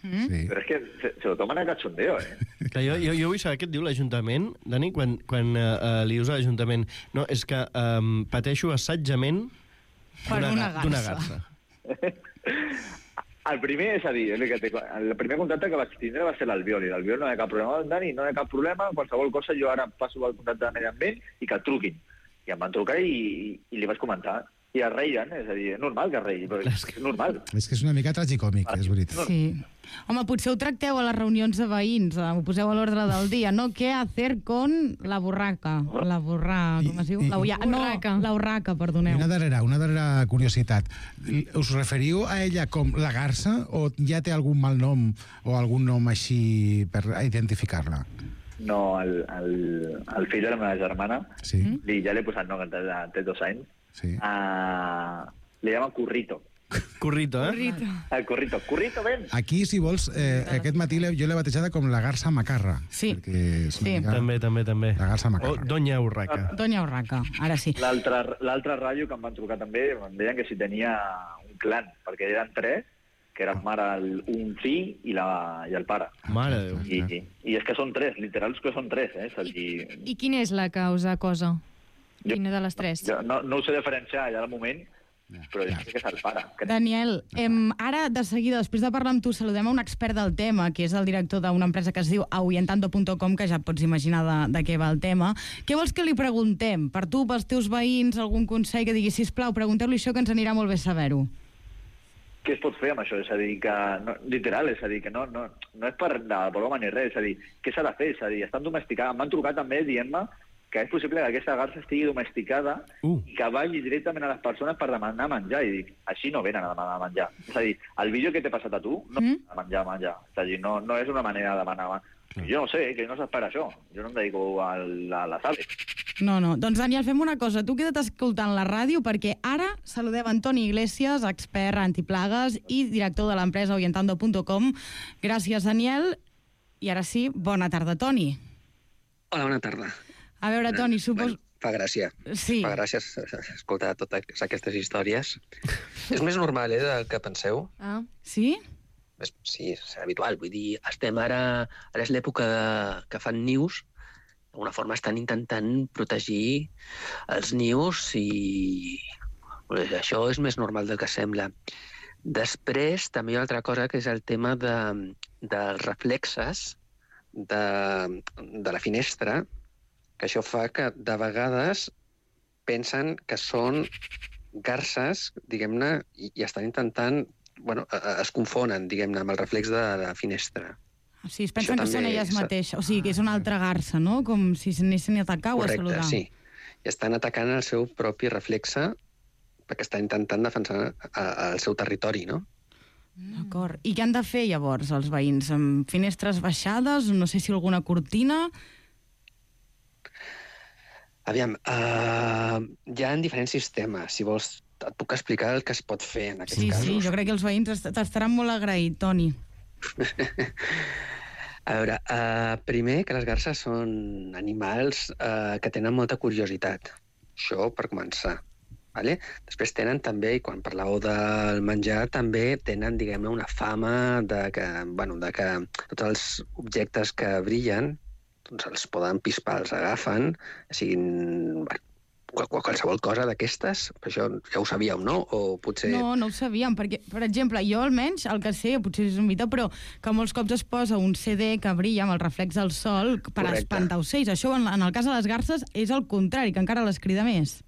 mm? sí. però és que se, se lo toman a cachondeo, eh? Clar, jo, jo, jo vull saber què et diu l'Ajuntament, Dani, quan, quan uh, li dius a l'Ajuntament. No, és que um, pateixo assetjament d'una garça. garça. El primer, és a dir, el, que té, el primer contacte que vaig tindre va ser l'Albiol, i l'Albiol no hi ha cap problema. Dani, no hi ha cap problema, qualsevol cosa, jo ara passo el contacte de medi ambient i que et truquin. I em van trucar i, i, i li vaig comentar. I es reien, és a dir, és normal que es reien, però és, és normal. És que és una mica tragicòmic, és veritat. Sí. Home, potser ho tracteu a les reunions de veïns, ho poseu a l'ordre del dia, no? Què hacer con la borraca? La borra... com es diu? I, la ulla... No, la urraca, perdoneu. Una darrera, una darrera curiositat. Us referiu a ella com la garça o ja té algun mal nom o algun nom així per identificar-la? No, el, el, el fill de la meva germana, sí. li, ja l'he posat nom, que té dos anys, sí. uh, li llama Currito. Currito, eh? Currito. El Currito. Currito, ven! Aquí, si vols, eh, aquest matí jo l'he batejada com la garça macarra. Sí. És sí. També, també, també. La garça macarra. O Doña Urraca. Doña Urraca, ara sí. L'altre ràdio que em van trucar també, em deien que si tenia un clan, perquè eren tres, que eren mare, el, un fill i, la, i el pare. Mare de Déu. I, i, I és que són tres, literals que són tres, eh? I, I quina és la que us acosa? Quina de les tres? Jo no, no ho sé diferenciar allà al moment, però jo crec que és el pare. Daniel, em, ara, de seguida, després de parlar amb tu, saludem a un expert del tema, que és el director d'una empresa que es diu ahuyentando punt com, que ja et pots imaginar de, de què va el tema. Què vols que li preguntem? Per tu, pels teus veïns, algun consell que digui, sisplau, pregunteu-li això, que ens anirà molt bé saber-ho. Què es pot fer amb això? És a dir, que no, literal, és a dir, que no, no, no és per de broma ni res, és a dir, què s'ha de fer? És a dir, estan domesticats. Em van trucar també dient-me que és possible que aquesta garça estigui domesticada uh. i que vagi directament a les persones per demanar menjar. I dic, així no venen a demanar menjar. És a dir, el vídeo que t'he passat a tu no mm. a menjar, menjar. És a dir, no, no és una manera de demanar. Jo no sé, que no s'espera això. Jo no em dedico a la, a la sala. No, no. Doncs, Daniel, fem una cosa. Tu queda't escoltant la ràdio perquè ara saludem Antoni Iglesias, expert antiplagues i director de l'empresa ahuyentando punt com. Gràcies, Daniel. I ara sí, bona tarda, Toni. Hola, bona tarda. A veure, Toni, supos... Bueno, fa gràcia. Sí. Fa gràcia escoltar totes aquestes històries. És més normal, eh, del que penseu. Ah, sí? Sí, és habitual. Vull dir, estem ara... Ara és l'època que fan nius. D'alguna forma estan intentant protegir els nius i... Això és més normal del que sembla. Després, també hi ha una altra cosa, que és el tema de, dels reflexes de, de la finestra, que això fa que de vegades pensen que són garces, diguem-ne, i, i estan intentant... Bueno, es confonen, diguem-ne, amb el reflex de la finestra. O sigui, es pensen que són elles mateixes. O sigui, que és una altra garça, no? Com si s'anessin a atacar o a saludar. Correcte, sí. I estan atacant el seu propi reflexe perquè estan intentant defensar el seu territori, no? D'acord. I què han de fer, llavors, els veïns? Amb finestres baixades? No sé si alguna cortina? Aviam, uh, hi ha diferents sistemes. Si vols, et puc explicar el que es pot fer en aquests sí, casos. Sí, sí, jo crec que els veïns t'estaran molt agraït, Toni. A veure, uh, primer que les garces són animals uh, que tenen molta curiositat. Això per començar. Vale? Després tenen també, i quan parlàveu del menjar, també tenen, diguem-ne, una fama de que, bueno, de que tots els objectes que brillen doncs els poden pispar, els agafen, siguin qualsevol cosa d'aquestes. Això ja ho sabíeu, no? O potser... No, no ho sabíem, perquè, per exemple, jo almenys, el que sé, potser és un mite, però que molts cops es posa un C D que brilla amb el reflex del sol per Correcte. Espantar ocells. Això, en, en el cas de les garces, és el contrari, que encara les crida més.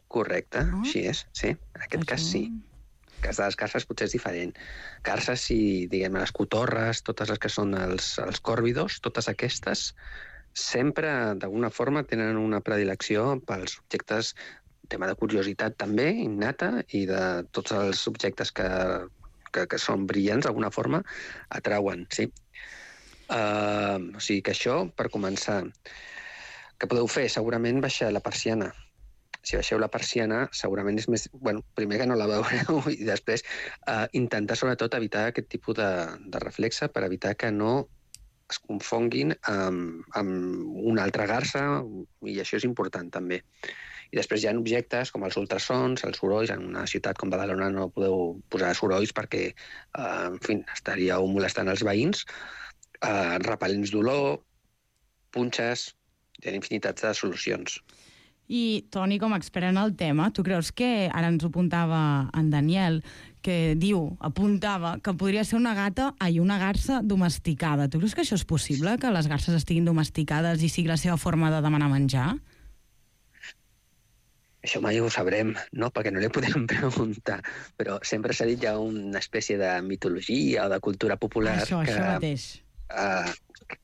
Correcte, no? Així és, sí. En aquest Això... cas, sí. En el cas de les garces potser és diferent. Garces i, diguem, les cotorres, totes les que són els, els còrvidos, totes aquestes sempre, d'alguna forma, tenen una predilecció pels objectes, tema de curiositat també, innata, i de tots els objectes que, que, que són brillants, d'alguna forma, atrauen, sí. Uh, o sigui que això, per començar, que podeu fer? Segurament baixar la persiana. Si baixeu la persiana, segurament és més... Bueno, primer que no la veureu i després uh, intentar, sobretot, evitar aquest tipus de, de reflexe per evitar que no es confonguin amb, amb una altra garsa, i això és important també. I després hi ha objectes com els ultrasons, els sorolls. En una ciutat com Badalona no podeu posar sorolls perquè, uh, en fi, estaríeu molestant els veïns. Uh, repel·lents d'olor, punxes, hi ha infinitats de solucions. I, Toni, com a expert en el tema, tu creus que, ara ens ho apuntava en Daniel, que diu, apuntava, que podria ser una gata i una garsa domesticada. Tu creus que això és possible, que les garses estiguin domesticades i sigui la seva forma de demanar menjar? Això mai ho sabrem, no? Perquè no li podem preguntar. Però sempre s'ha dit ja una espècie de mitologia o de cultura popular això, que, això mateix. Uh,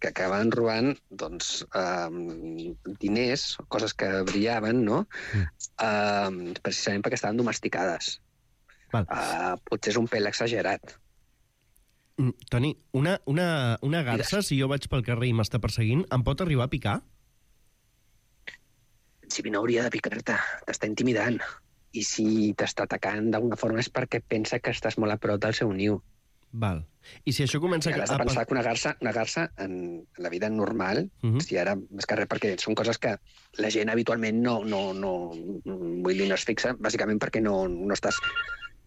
que acaben robant doncs, uh, diners, coses que brillaven, no? Uh, precisament perquè estaven domesticades. Uh, potser és un pèl exagerat. Mm, Toni, una, una, una garsa, si jo vaig pel carrer i m'està perseguint, em pot arribar a picar? Si no hauria de picar-te, t'està intimidant. I si t'està atacant d'alguna forma és perquè pensa que estàs molt a prop del seu niu. Val. I si això comença... I has de pensar que una garsa, una garsa en la vida normal, uh -huh. si ara més que res, perquè són coses que la gent habitualment no, no, no, vull dir, no es fixa, bàsicament perquè no, no estàs...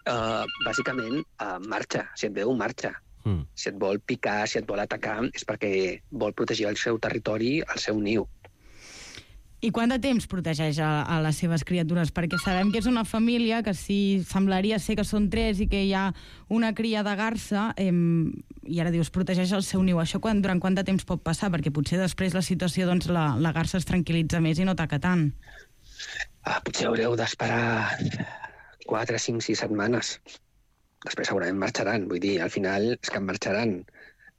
Uh, bàsicament, uh, marxa. Si et veu, marxa. Uh. Si et vol picar, si et vol atacar, és perquè vol protegir el seu territori, el seu niu. I quant de temps protegeix a, a les seves criatures? Perquè sabem que és una família que sí, semblaria ser que són tres i que hi ha una cria de garsa, eh, i ara dius, protegeix el seu niu. Això quan, durant quant de temps pot passar? Perquè potser després la situació, doncs, la, la garsa es tranquil·litza més i no ataca tant. Ah, potser haureu d'esperar quatre, cinc, sis setmanes. Després segurament marxaran. Vull dir, al final és que marxaran.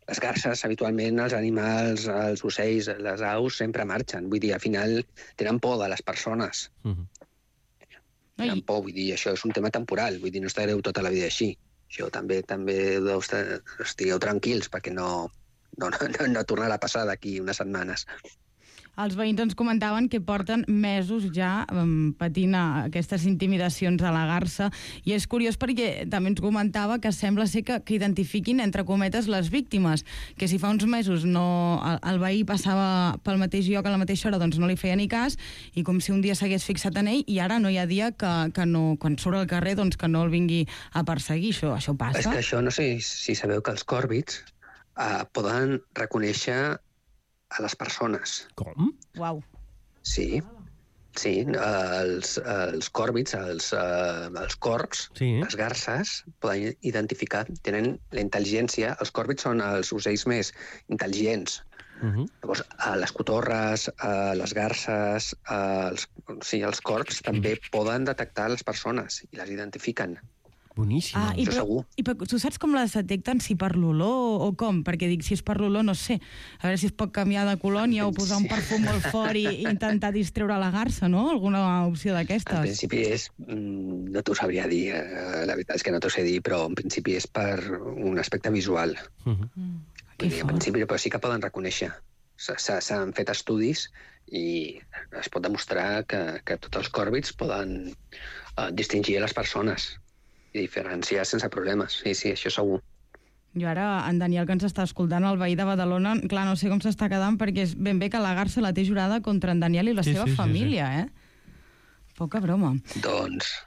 Les garses, habitualment, els animals, els ocells, les aus, sempre marxen. Vull dir, al final tenen por de les persones. Uh-huh. Tenen por, vull dir, això és un tema temporal. Vull dir, no estareu tota la vida així. Això també també deu estar, estigueu tranquils perquè no, no, no, no tornarà a passar d'aquí unes setmanes. Els veïns ens comentaven que porten mesos ja um, patint aquestes intimidacions a la garsa, i és curiós perquè també ens comentava que sembla ser que, que identifiquin, entre cometes, les víctimes, que si fa uns mesos no, el, el veí passava pel mateix lloc a la mateixa hora, doncs no li feia ni cas, i com si un dia s'hagués fixat en ell, i ara no hi ha dia que, que no, quan surt al carrer, doncs que no el vingui a perseguir. Això, això passa? És que això, no sé si sabeu que els còrvids uh, poden reconèixer a les persones. Com? Uau. Sí, sí. Els, els còrvids, els, els corcs, sí. Les garses, poden identificar, tenen la intel·ligència. Els còrvids són els ocells més intel·ligents. Uh-huh. Llavors, les cotorres, les garses, els, sí, els corcs també poden detectar les persones i les identifiquen. Boníssim. Ah, i això però, segur. I però, tu saps com les detecten? Si per l'olor o com? Perquè dic, si és per l'olor, no sé. A veure si es pot canviar de colònia o posar un perfum molt fort i, i intentar distreure la garsa, no? Alguna opció d'aquestes. En principi és... No t'ho sabria dir, la veritat és que no t'ho sé dir, però en principi és per un aspecte visual. Uh-huh. Mm, que dir, en principi, però sí que poden reconèixer. S'han fet estudis i es pot demostrar que, que tots els còrvids poden uh, distingir les persones i diferenciar sense problemes. Sí, sí, això segur. Jo ara, en Daniel, que ens està escoltant, el veí de Badalona, clar, no sé com s'està quedant, perquè és ben bé que la garsa la té jurada contra en Daniel i la sí, seva sí, família, sí, sí. eh? Poca broma. Doncs...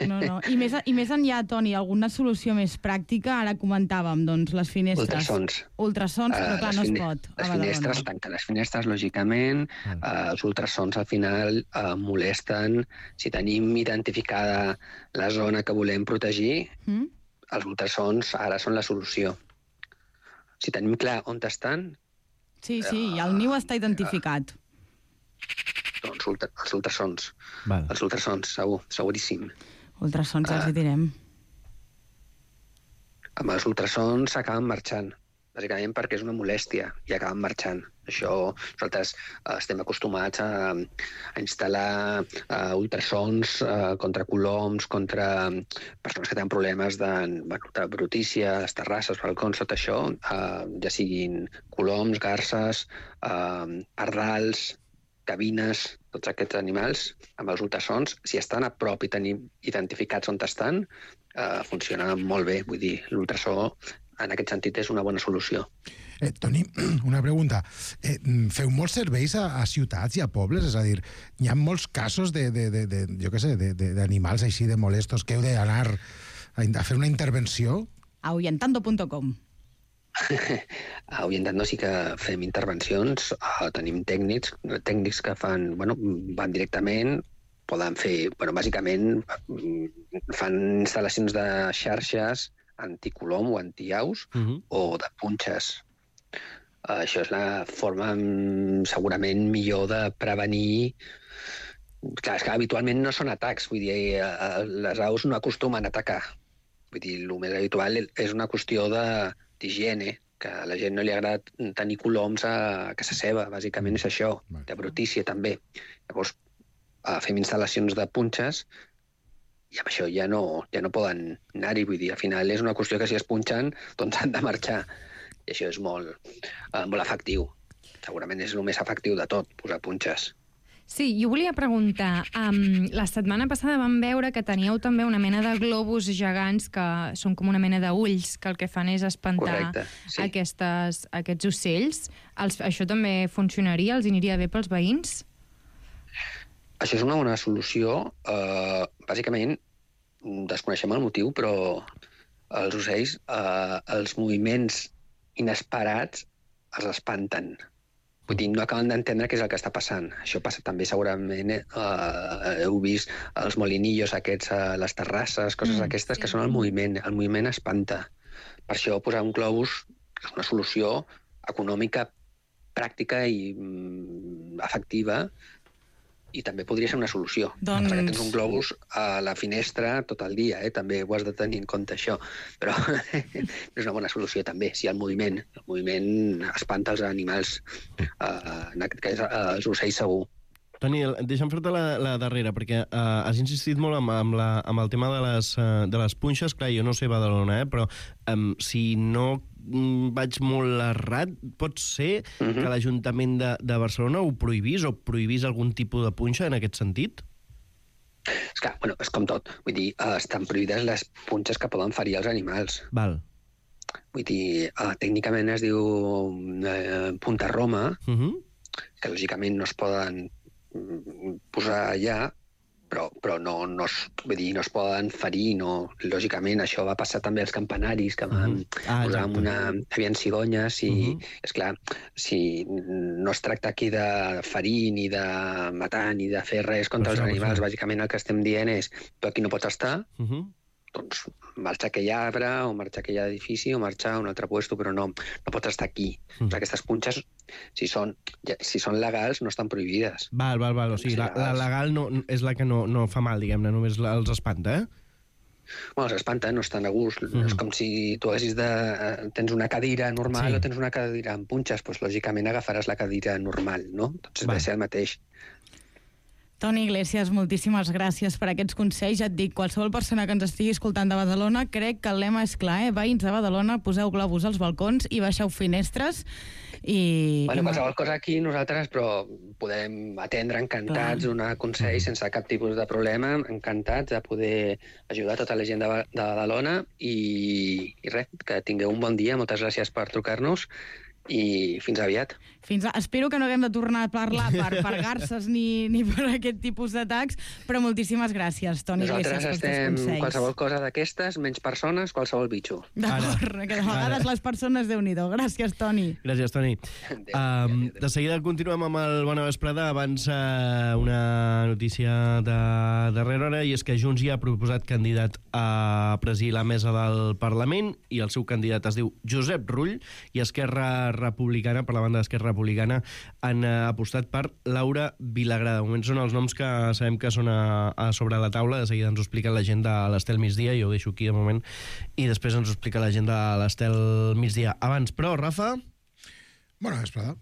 No, no. I més, i més enllà, Toni, alguna solució més pràctica? Ara comentàvem, doncs, les finestres. Ultrasons. Ultrasons, però clar, no es fine... pot. Les finestres, tanquen les finestres, lògicament. Uh, els ultrasons, al final, uh, molesten. Si tenim identificada la zona que volem protegir, mm? els ultrasons ara són la solució. Si tenim clar on estan... Sí, sí, uh, el niu està identificat. Uh, doncs ultra, els ultrasons. Val. Els ultrasons, segur, seguríssim. Ultrasons, ja els hi direm. Amb els ultrasons s'acaben marxant, bàsicament perquè és una molèstia i acaben marxant. Això, nosaltres eh, estem acostumats a, a instal·lar eh, ultrasons eh, contra coloms, contra persones que tenen problemes de, bueno, de brutícia, les terrasses, balcons, tot això, eh, ja siguin coloms, garses, eh, pardals, cabines, tots aquests animals, amb els ultrasons, si estan a prop i tenim identificats on estan, eh, funciona molt bé. Vull dir, l'ultrasó, en aquest sentit, és una bona solució. Eh, Toni, una pregunta. Eh, feu molts serveis a, a ciutats i a pobles? És a dir, hi ha molts casos de, de, de, de jo què sé, d'animals així de molestos que heu d'anar a, a fer una intervenció? ahuyentando punto com. A Ahuyentando sí que fem intervencions, uh, tenim tècnics, tècnics que fan, bueno, van directament, poden fer, bueno, bàsicament fan instal·lacions de xarxes anticolom o antiaus uh-huh. o de punxes. Uh, això és la forma segurament millor de prevenir. Clar, és que habitualment no són atacs, vull dir, uh, les aus no acostumen a atacar. Vull dir, el més habitual és una qüestió de d'higiene, que a la gent no li agrada tenir coloms a casa seva, bàsicament és això, de brutícia també. Llavors, fem instal·lacions de punxes i amb això ja no, ja no poden anar-hi, vull dir, al final és una qüestió que si es punxen, doncs han de marxar. I això és molt, eh, molt efectiu. Segurament és el més efectiu de tot, posar punxes. Sí, jo volia preguntar, um, la setmana passada vam veure que teníeu també una mena de globus gegants que són com una mena d'ulls, que el que fan és espantar Correcte, sí. aquestes, aquests ocells. Els, això també funcionaria? Els aniria bé pels veïns? Això és una bona solució. Uh, bàsicament, desconeixem el motiu, però els ocells, uh, els moviments inesperats els espanten. Vull dir, no acaben d'entendre què és el que està passant. Això passa també segurament, eh, heu vist els molinillos aquests a les terrasses, coses mm, aquestes sí. que són el moviment. El moviment espanta. Per això posar un globus és una solució econòmica, pràctica i mm, efectiva, i també podria ser una solució. Doncs... Perquè tens un globus a la finestra tot el dia, eh? També ho has de tenir en compte, això. Però és una bona solució, també, si el moviment, el moviment espanta els animals, eh, en aquest cas els ocells segur. Toni, deixa'm fer-te la, la darrera, perquè uh, has insistit molt amb, amb, la, amb el tema de les, uh, de les punxes. Clar, jo no sé Badalona, eh, però um, si no mm, vaig molt errat, pot ser uh-huh. que l'Ajuntament de, de Barcelona ho prohibís o prohibís algun tipus de punxa en aquest sentit? És que, bueno, és com tot. Vull dir, uh, estan prohibides les punxes que poden ferir els animals. Val. Vull dir, uh, tècnicament es diu uh, punta Roma, uh-huh. que lògicament no es poden posar allà, però, però no, no, es, vull dir, no es poden ferir, no. Lògicament això va passar també als campanaris, que van uh-huh. ah, posar amb una... Hi havia cigonyes i, uh-huh. esclar, si no es tracta aquí de ferir, ni de matar, ni de fer res contra els animals, bàsicament el que estem dient és tu aquí no pots estar, uh-huh. doncs marxa aquell arbre, o marxa aquell edifici, o marxa a un altre puesto, però no, no pots estar aquí. Mm. Doncs aquestes punxes, si són, si són legals, no estan prohibides. Val, val, val. O sigui, la, la legal no, és la que no, no fa mal, diguem-ne, només la, els espanta, eh? Bueno, els espanta, no estan a gust. Mm. És com si tu haguessis de... Tens una cadira normal sí. o tens una cadira amb punxes, doncs lògicament agafaràs la cadira normal, no? Doncs va ser el mateix. Toni Iglesias, moltíssimes gràcies per aquests consells. Ja et dic, qualsevol persona que ens estigui escoltant de Badalona, crec que el lema és clar, eh? Veïns de Badalona, poseu globus als balcons i baixeu finestres. I... Bueno, qualsevol cosa aquí nosaltres, però podem atendre encantats, clar. Donar consells sense cap tipus de problema, encantats de poder ajudar tota la gent de, de Badalona i, i res, que tingueu un bon dia, moltes gràcies per trucar-nos i fins aviat. Fins a... Espero que no haguem de tornar a parlar per, per garces ni, ni per aquest tipus d'atacs, però moltíssimes gràcies, Toni Iglesias, per aquests consells. Nosaltres estem qualsevol cosa d'aquestes, menys persones, qualsevol bitxo. D'acord, que de vegades les persones, Déu-n'hi-do. Gràcies, Toni. Gràcies, Toni. Adéu, um, adéu. De seguida continuem amb el Bona Vesprada. Abans uh, una notícia de darrera hora, i és que Junts ja ha proposat candidat a presidir la mesa del Parlament, i el seu candidat es diu Josep Rull, i Esquerra Republicana, per la banda d'Esquerra Republicana, han uh, apostat per Laura Vilagrà. De moment són els noms que sabem que són a, a sobre la taula. De seguida ens ho explica la gent de l'Estel Migdia, i ho deixo aquí de moment, i després ens ho explica la gent de l'Estel Migdia. Abans, però, Rafa... Bona vesprada.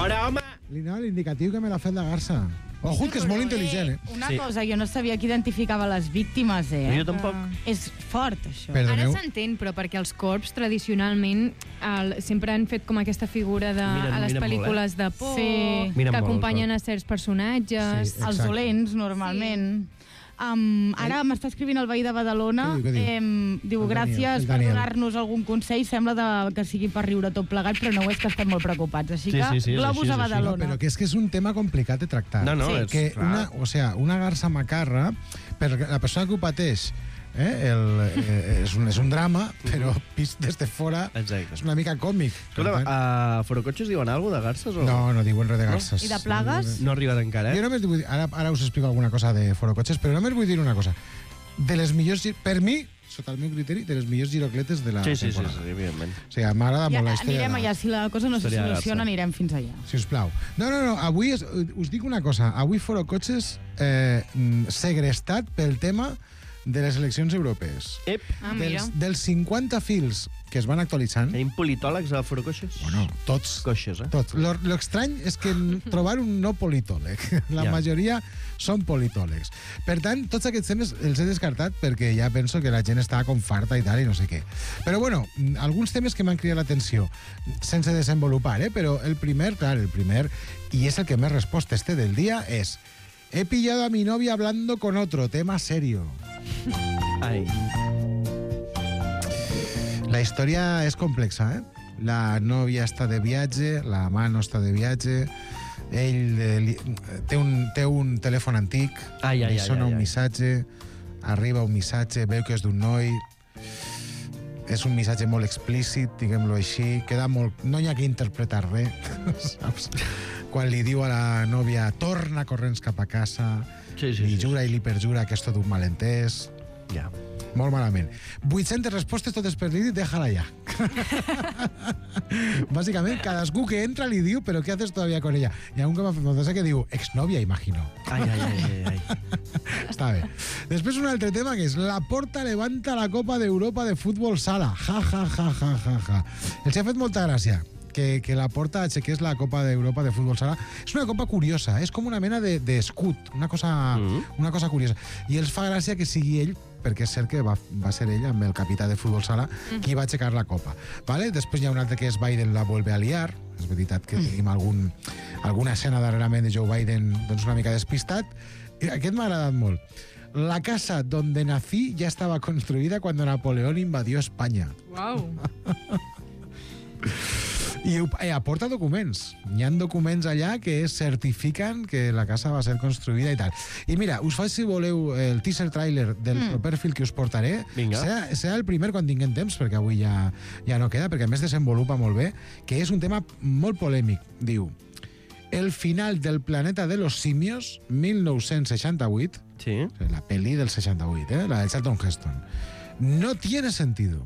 Fora, home! No, l'indicatiu que me l'ha fet la garça. Ojo, que és molt intel·ligent, eh? Una sí. cosa, jo no sabia que identificava les víctimes, eh? Jo tampoc. És fort, això. Perdoneu. Ara s'entén, però perquè els corps, tradicionalment, el, sempre han fet com aquesta figura de, miren, a les pel·lícules molt, eh? de por, sí. que acompanyen a certs personatges. Sí, els dolents, normalment. Sí. Um, ara eh? m'està escrivint el veí de Badalona. Què diu, què diu? Eh, diu, gràcies per donar-nos algun consell. Sembla de, que sigui per riure tot plegat, però no és que estem molt preocupats. Així sí, que, sí, sí, globus així, a Badalona. No, però que és que és un tema complicat de tractar. No, no, sí. és que clar. una, o sea, una garça macarra, per la persona que ho pateix, eh, el, eh, és, un, és un drama, però vist des de fora Exacte. és una mica còmic. Escolta, a Forocotxes diuen alguna cosa de garces? O... No, no diuen res de garces. No? I de plagues? No ha arribat encara, eh? Jo només vull dir, ara, ara us explico alguna cosa de Forocotxes, però només vull dir una cosa. De les millors, per mi, sota el meu criteri, de les millors girocletes de la sí, sí, temporada. Sí, sí, evidentment. O sigui, m'agrada ja, molt la història. Anirem allà, si la cosa no se Seria soluciona, anirem fins allà. Si us plau. No, no, no, avui és, us dic una cosa. Avui Forocotxes eh, segrestat pel tema de les eleccions europees. Ep. Ah, mira. Dels, dels cinquanta fils que es van actualitzant... Tenim politòlegs a Forocotxes? Bueno, tots. Coixes, eh? Tots. Lo, lo estrany és que trobar un no politòleg. La Ja. majoria són politòlegs. Per tant, tots aquests temes els he descartat perquè ja penso que la gent està com farta i tal i no sé què. Però bueno, alguns temes que m'han cridat l'atenció, sense desenvolupar, eh? Però el primer, clar, el primer, i és el que més resposta este del dia, és he pillado a mi novia hablando con otro, tema serio. Ai. La història és complexa, eh? La nòvia està de viatge, la mano està de viatge, ell eh, li, té, un, té un telèfon antic, Ai, ai, li ai, sona ai, un ai. missatge, arriba un missatge, veu que és d'un noi, és un missatge molt explícit, diguem-lo així, queda molt... no hi ha que interpretar res, saps? Quan li diu a la nòvia torna corrents cap a casa, Sí, sí, li sí, jura i li perjura que és tot un malentès... Ja. Molt malament. vuit-centes respostes, totes per dir, déjala ja. Bàsicament, cadascú que entra li diu, però què haces todavía con ella? Hi ha un que m'ha fet que diu, exnovia, imagino. Ai, ai, ai, ai, ai. Està bé. Després un altre tema que és la Porta levanta la Copa d'Europa de futbol sala. Ja, ja, ja, ja, ja, ja. Els ha fet molta gràcia que, que la Porta aixequés la Copa d'Europa de futbol sala. És una copa curiosa, és com una mena d'escut, de, una, cosa, mm-hmm. una cosa curiosa. I els fa gràcia que sigui ell, perquè és cert que va, va ser ell, amb el capità de futbol sala, mm-hmm. qui va aixecar la copa. Vale? Després hi ha un altre que és Biden la vuelve a liar. És veritat que tenim algun, alguna escena darrerament de Joe Biden doncs una mica despistat. I aquest m'ha agradat molt. La casa donde nací ya estaba construida cuando Napoleón invadió España. Uau. I eh, aporta documents. Hi ha documents allà que certifiquen que la casa va ser construïda i tal. I mira, us faig, si voleu, el teaser trailer del mm. proper fil que us portaré. Vinga. Serà, serà el primer quan tinguem temps, perquè avui ja, ja no queda, perquè a més desenvolupa molt bé, que és un tema molt polèmic. Diu, el final del planeta de los simios, mil nou-cents seixanta-vuit, sí. la pel·li del seixanta-vuit, eh? La de Charlton Heston, no tiene sentido.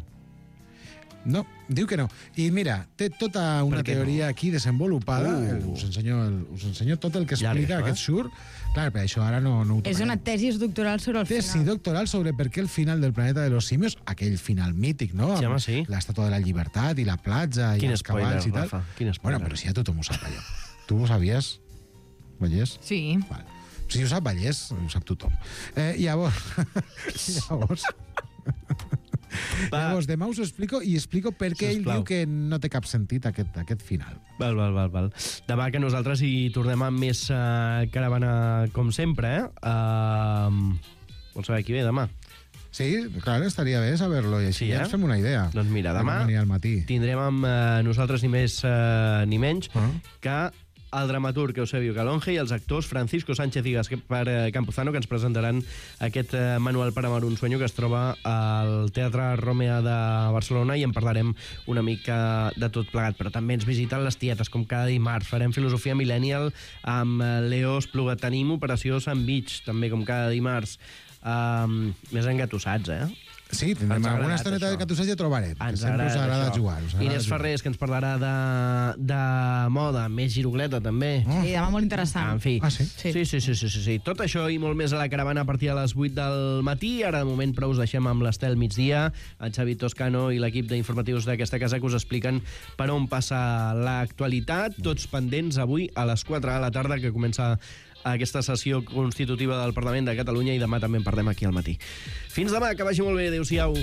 No, diu que no. I mira, té tota una teoria no? aquí desenvolupada. Uh. Us, ensenyo el, us ensenyo tot el que explica aquest surt. Clar, per això ara no, no ho És una tesi doctoral sobre el tesi final. Tesi doctoral sobre per què el final del planeta de los simios, aquell final mític, no? Sí, home, sí. L'estàtua de la llibertat i la platja i Quin els spoiler, cavalls i tal. Rafa, quin spoiler. Bueno, però si ja tothom ho sap, allò. Tu ho sabies, Vallès? Sí. Vale. Si ho sap Vallès, ho sap tothom. Eh, llavors... llavors... Va. Llavors, demà us ho explico i explico per què ell diu que no té cap sentit aquest, aquest final. Val, val, val, val. Demà que nosaltres hi tornem amb més uh, caravana com sempre, eh? Uh, vols saber qui ve demà? Sí, clar, estaria bé saber-lo i així sí, ja eh? ens fem una idea. Doncs mira, demà al matí. tindrem amb uh, nosaltres ni més uh, ni menys uh -huh. que el dramaturg Eusebio Calonge i els actors Francisco Sánchez i Gaspar Campuzano, que ens presentaran aquest eh, manual per amar un sueño que es troba al Teatre Romea de Barcelona, i en parlarem una mica de tot plegat. Però també ens visiten les tietes, com cada dimarts. Farem filosofia millennial amb Leo Espluga. Tenim Operació Sandwich, també com cada dimarts. Um, més engatussats, eh? Sí, tindrem Ens ha alguna agradat, estoneta això. de catusseig ja trobarem. Ens Sempre us agrada això. jugar. Us agrada Inés jugar. Ferrés, que ens parlarà de, de moda, més girugleta, també. Sí, demà molt interessant. En fi. Ah, sí? Sí. Sí, sí, sí, sí, sí, sí. Tot això i molt més a la caravana a partir de les vuit del matí. Ara, de moment, però us deixem amb l'Estel migdia, el Xavi Toscano i l'equip d'informatius d'aquesta casa que us expliquen per on passa l'actualitat. Tots pendents avui a les quatre de la tarda, que comença aquesta sessió constitutiva del Parlament de Catalunya, i demà també en parlem aquí al matí. Fins demà, que vagi molt bé. Adéu-siau.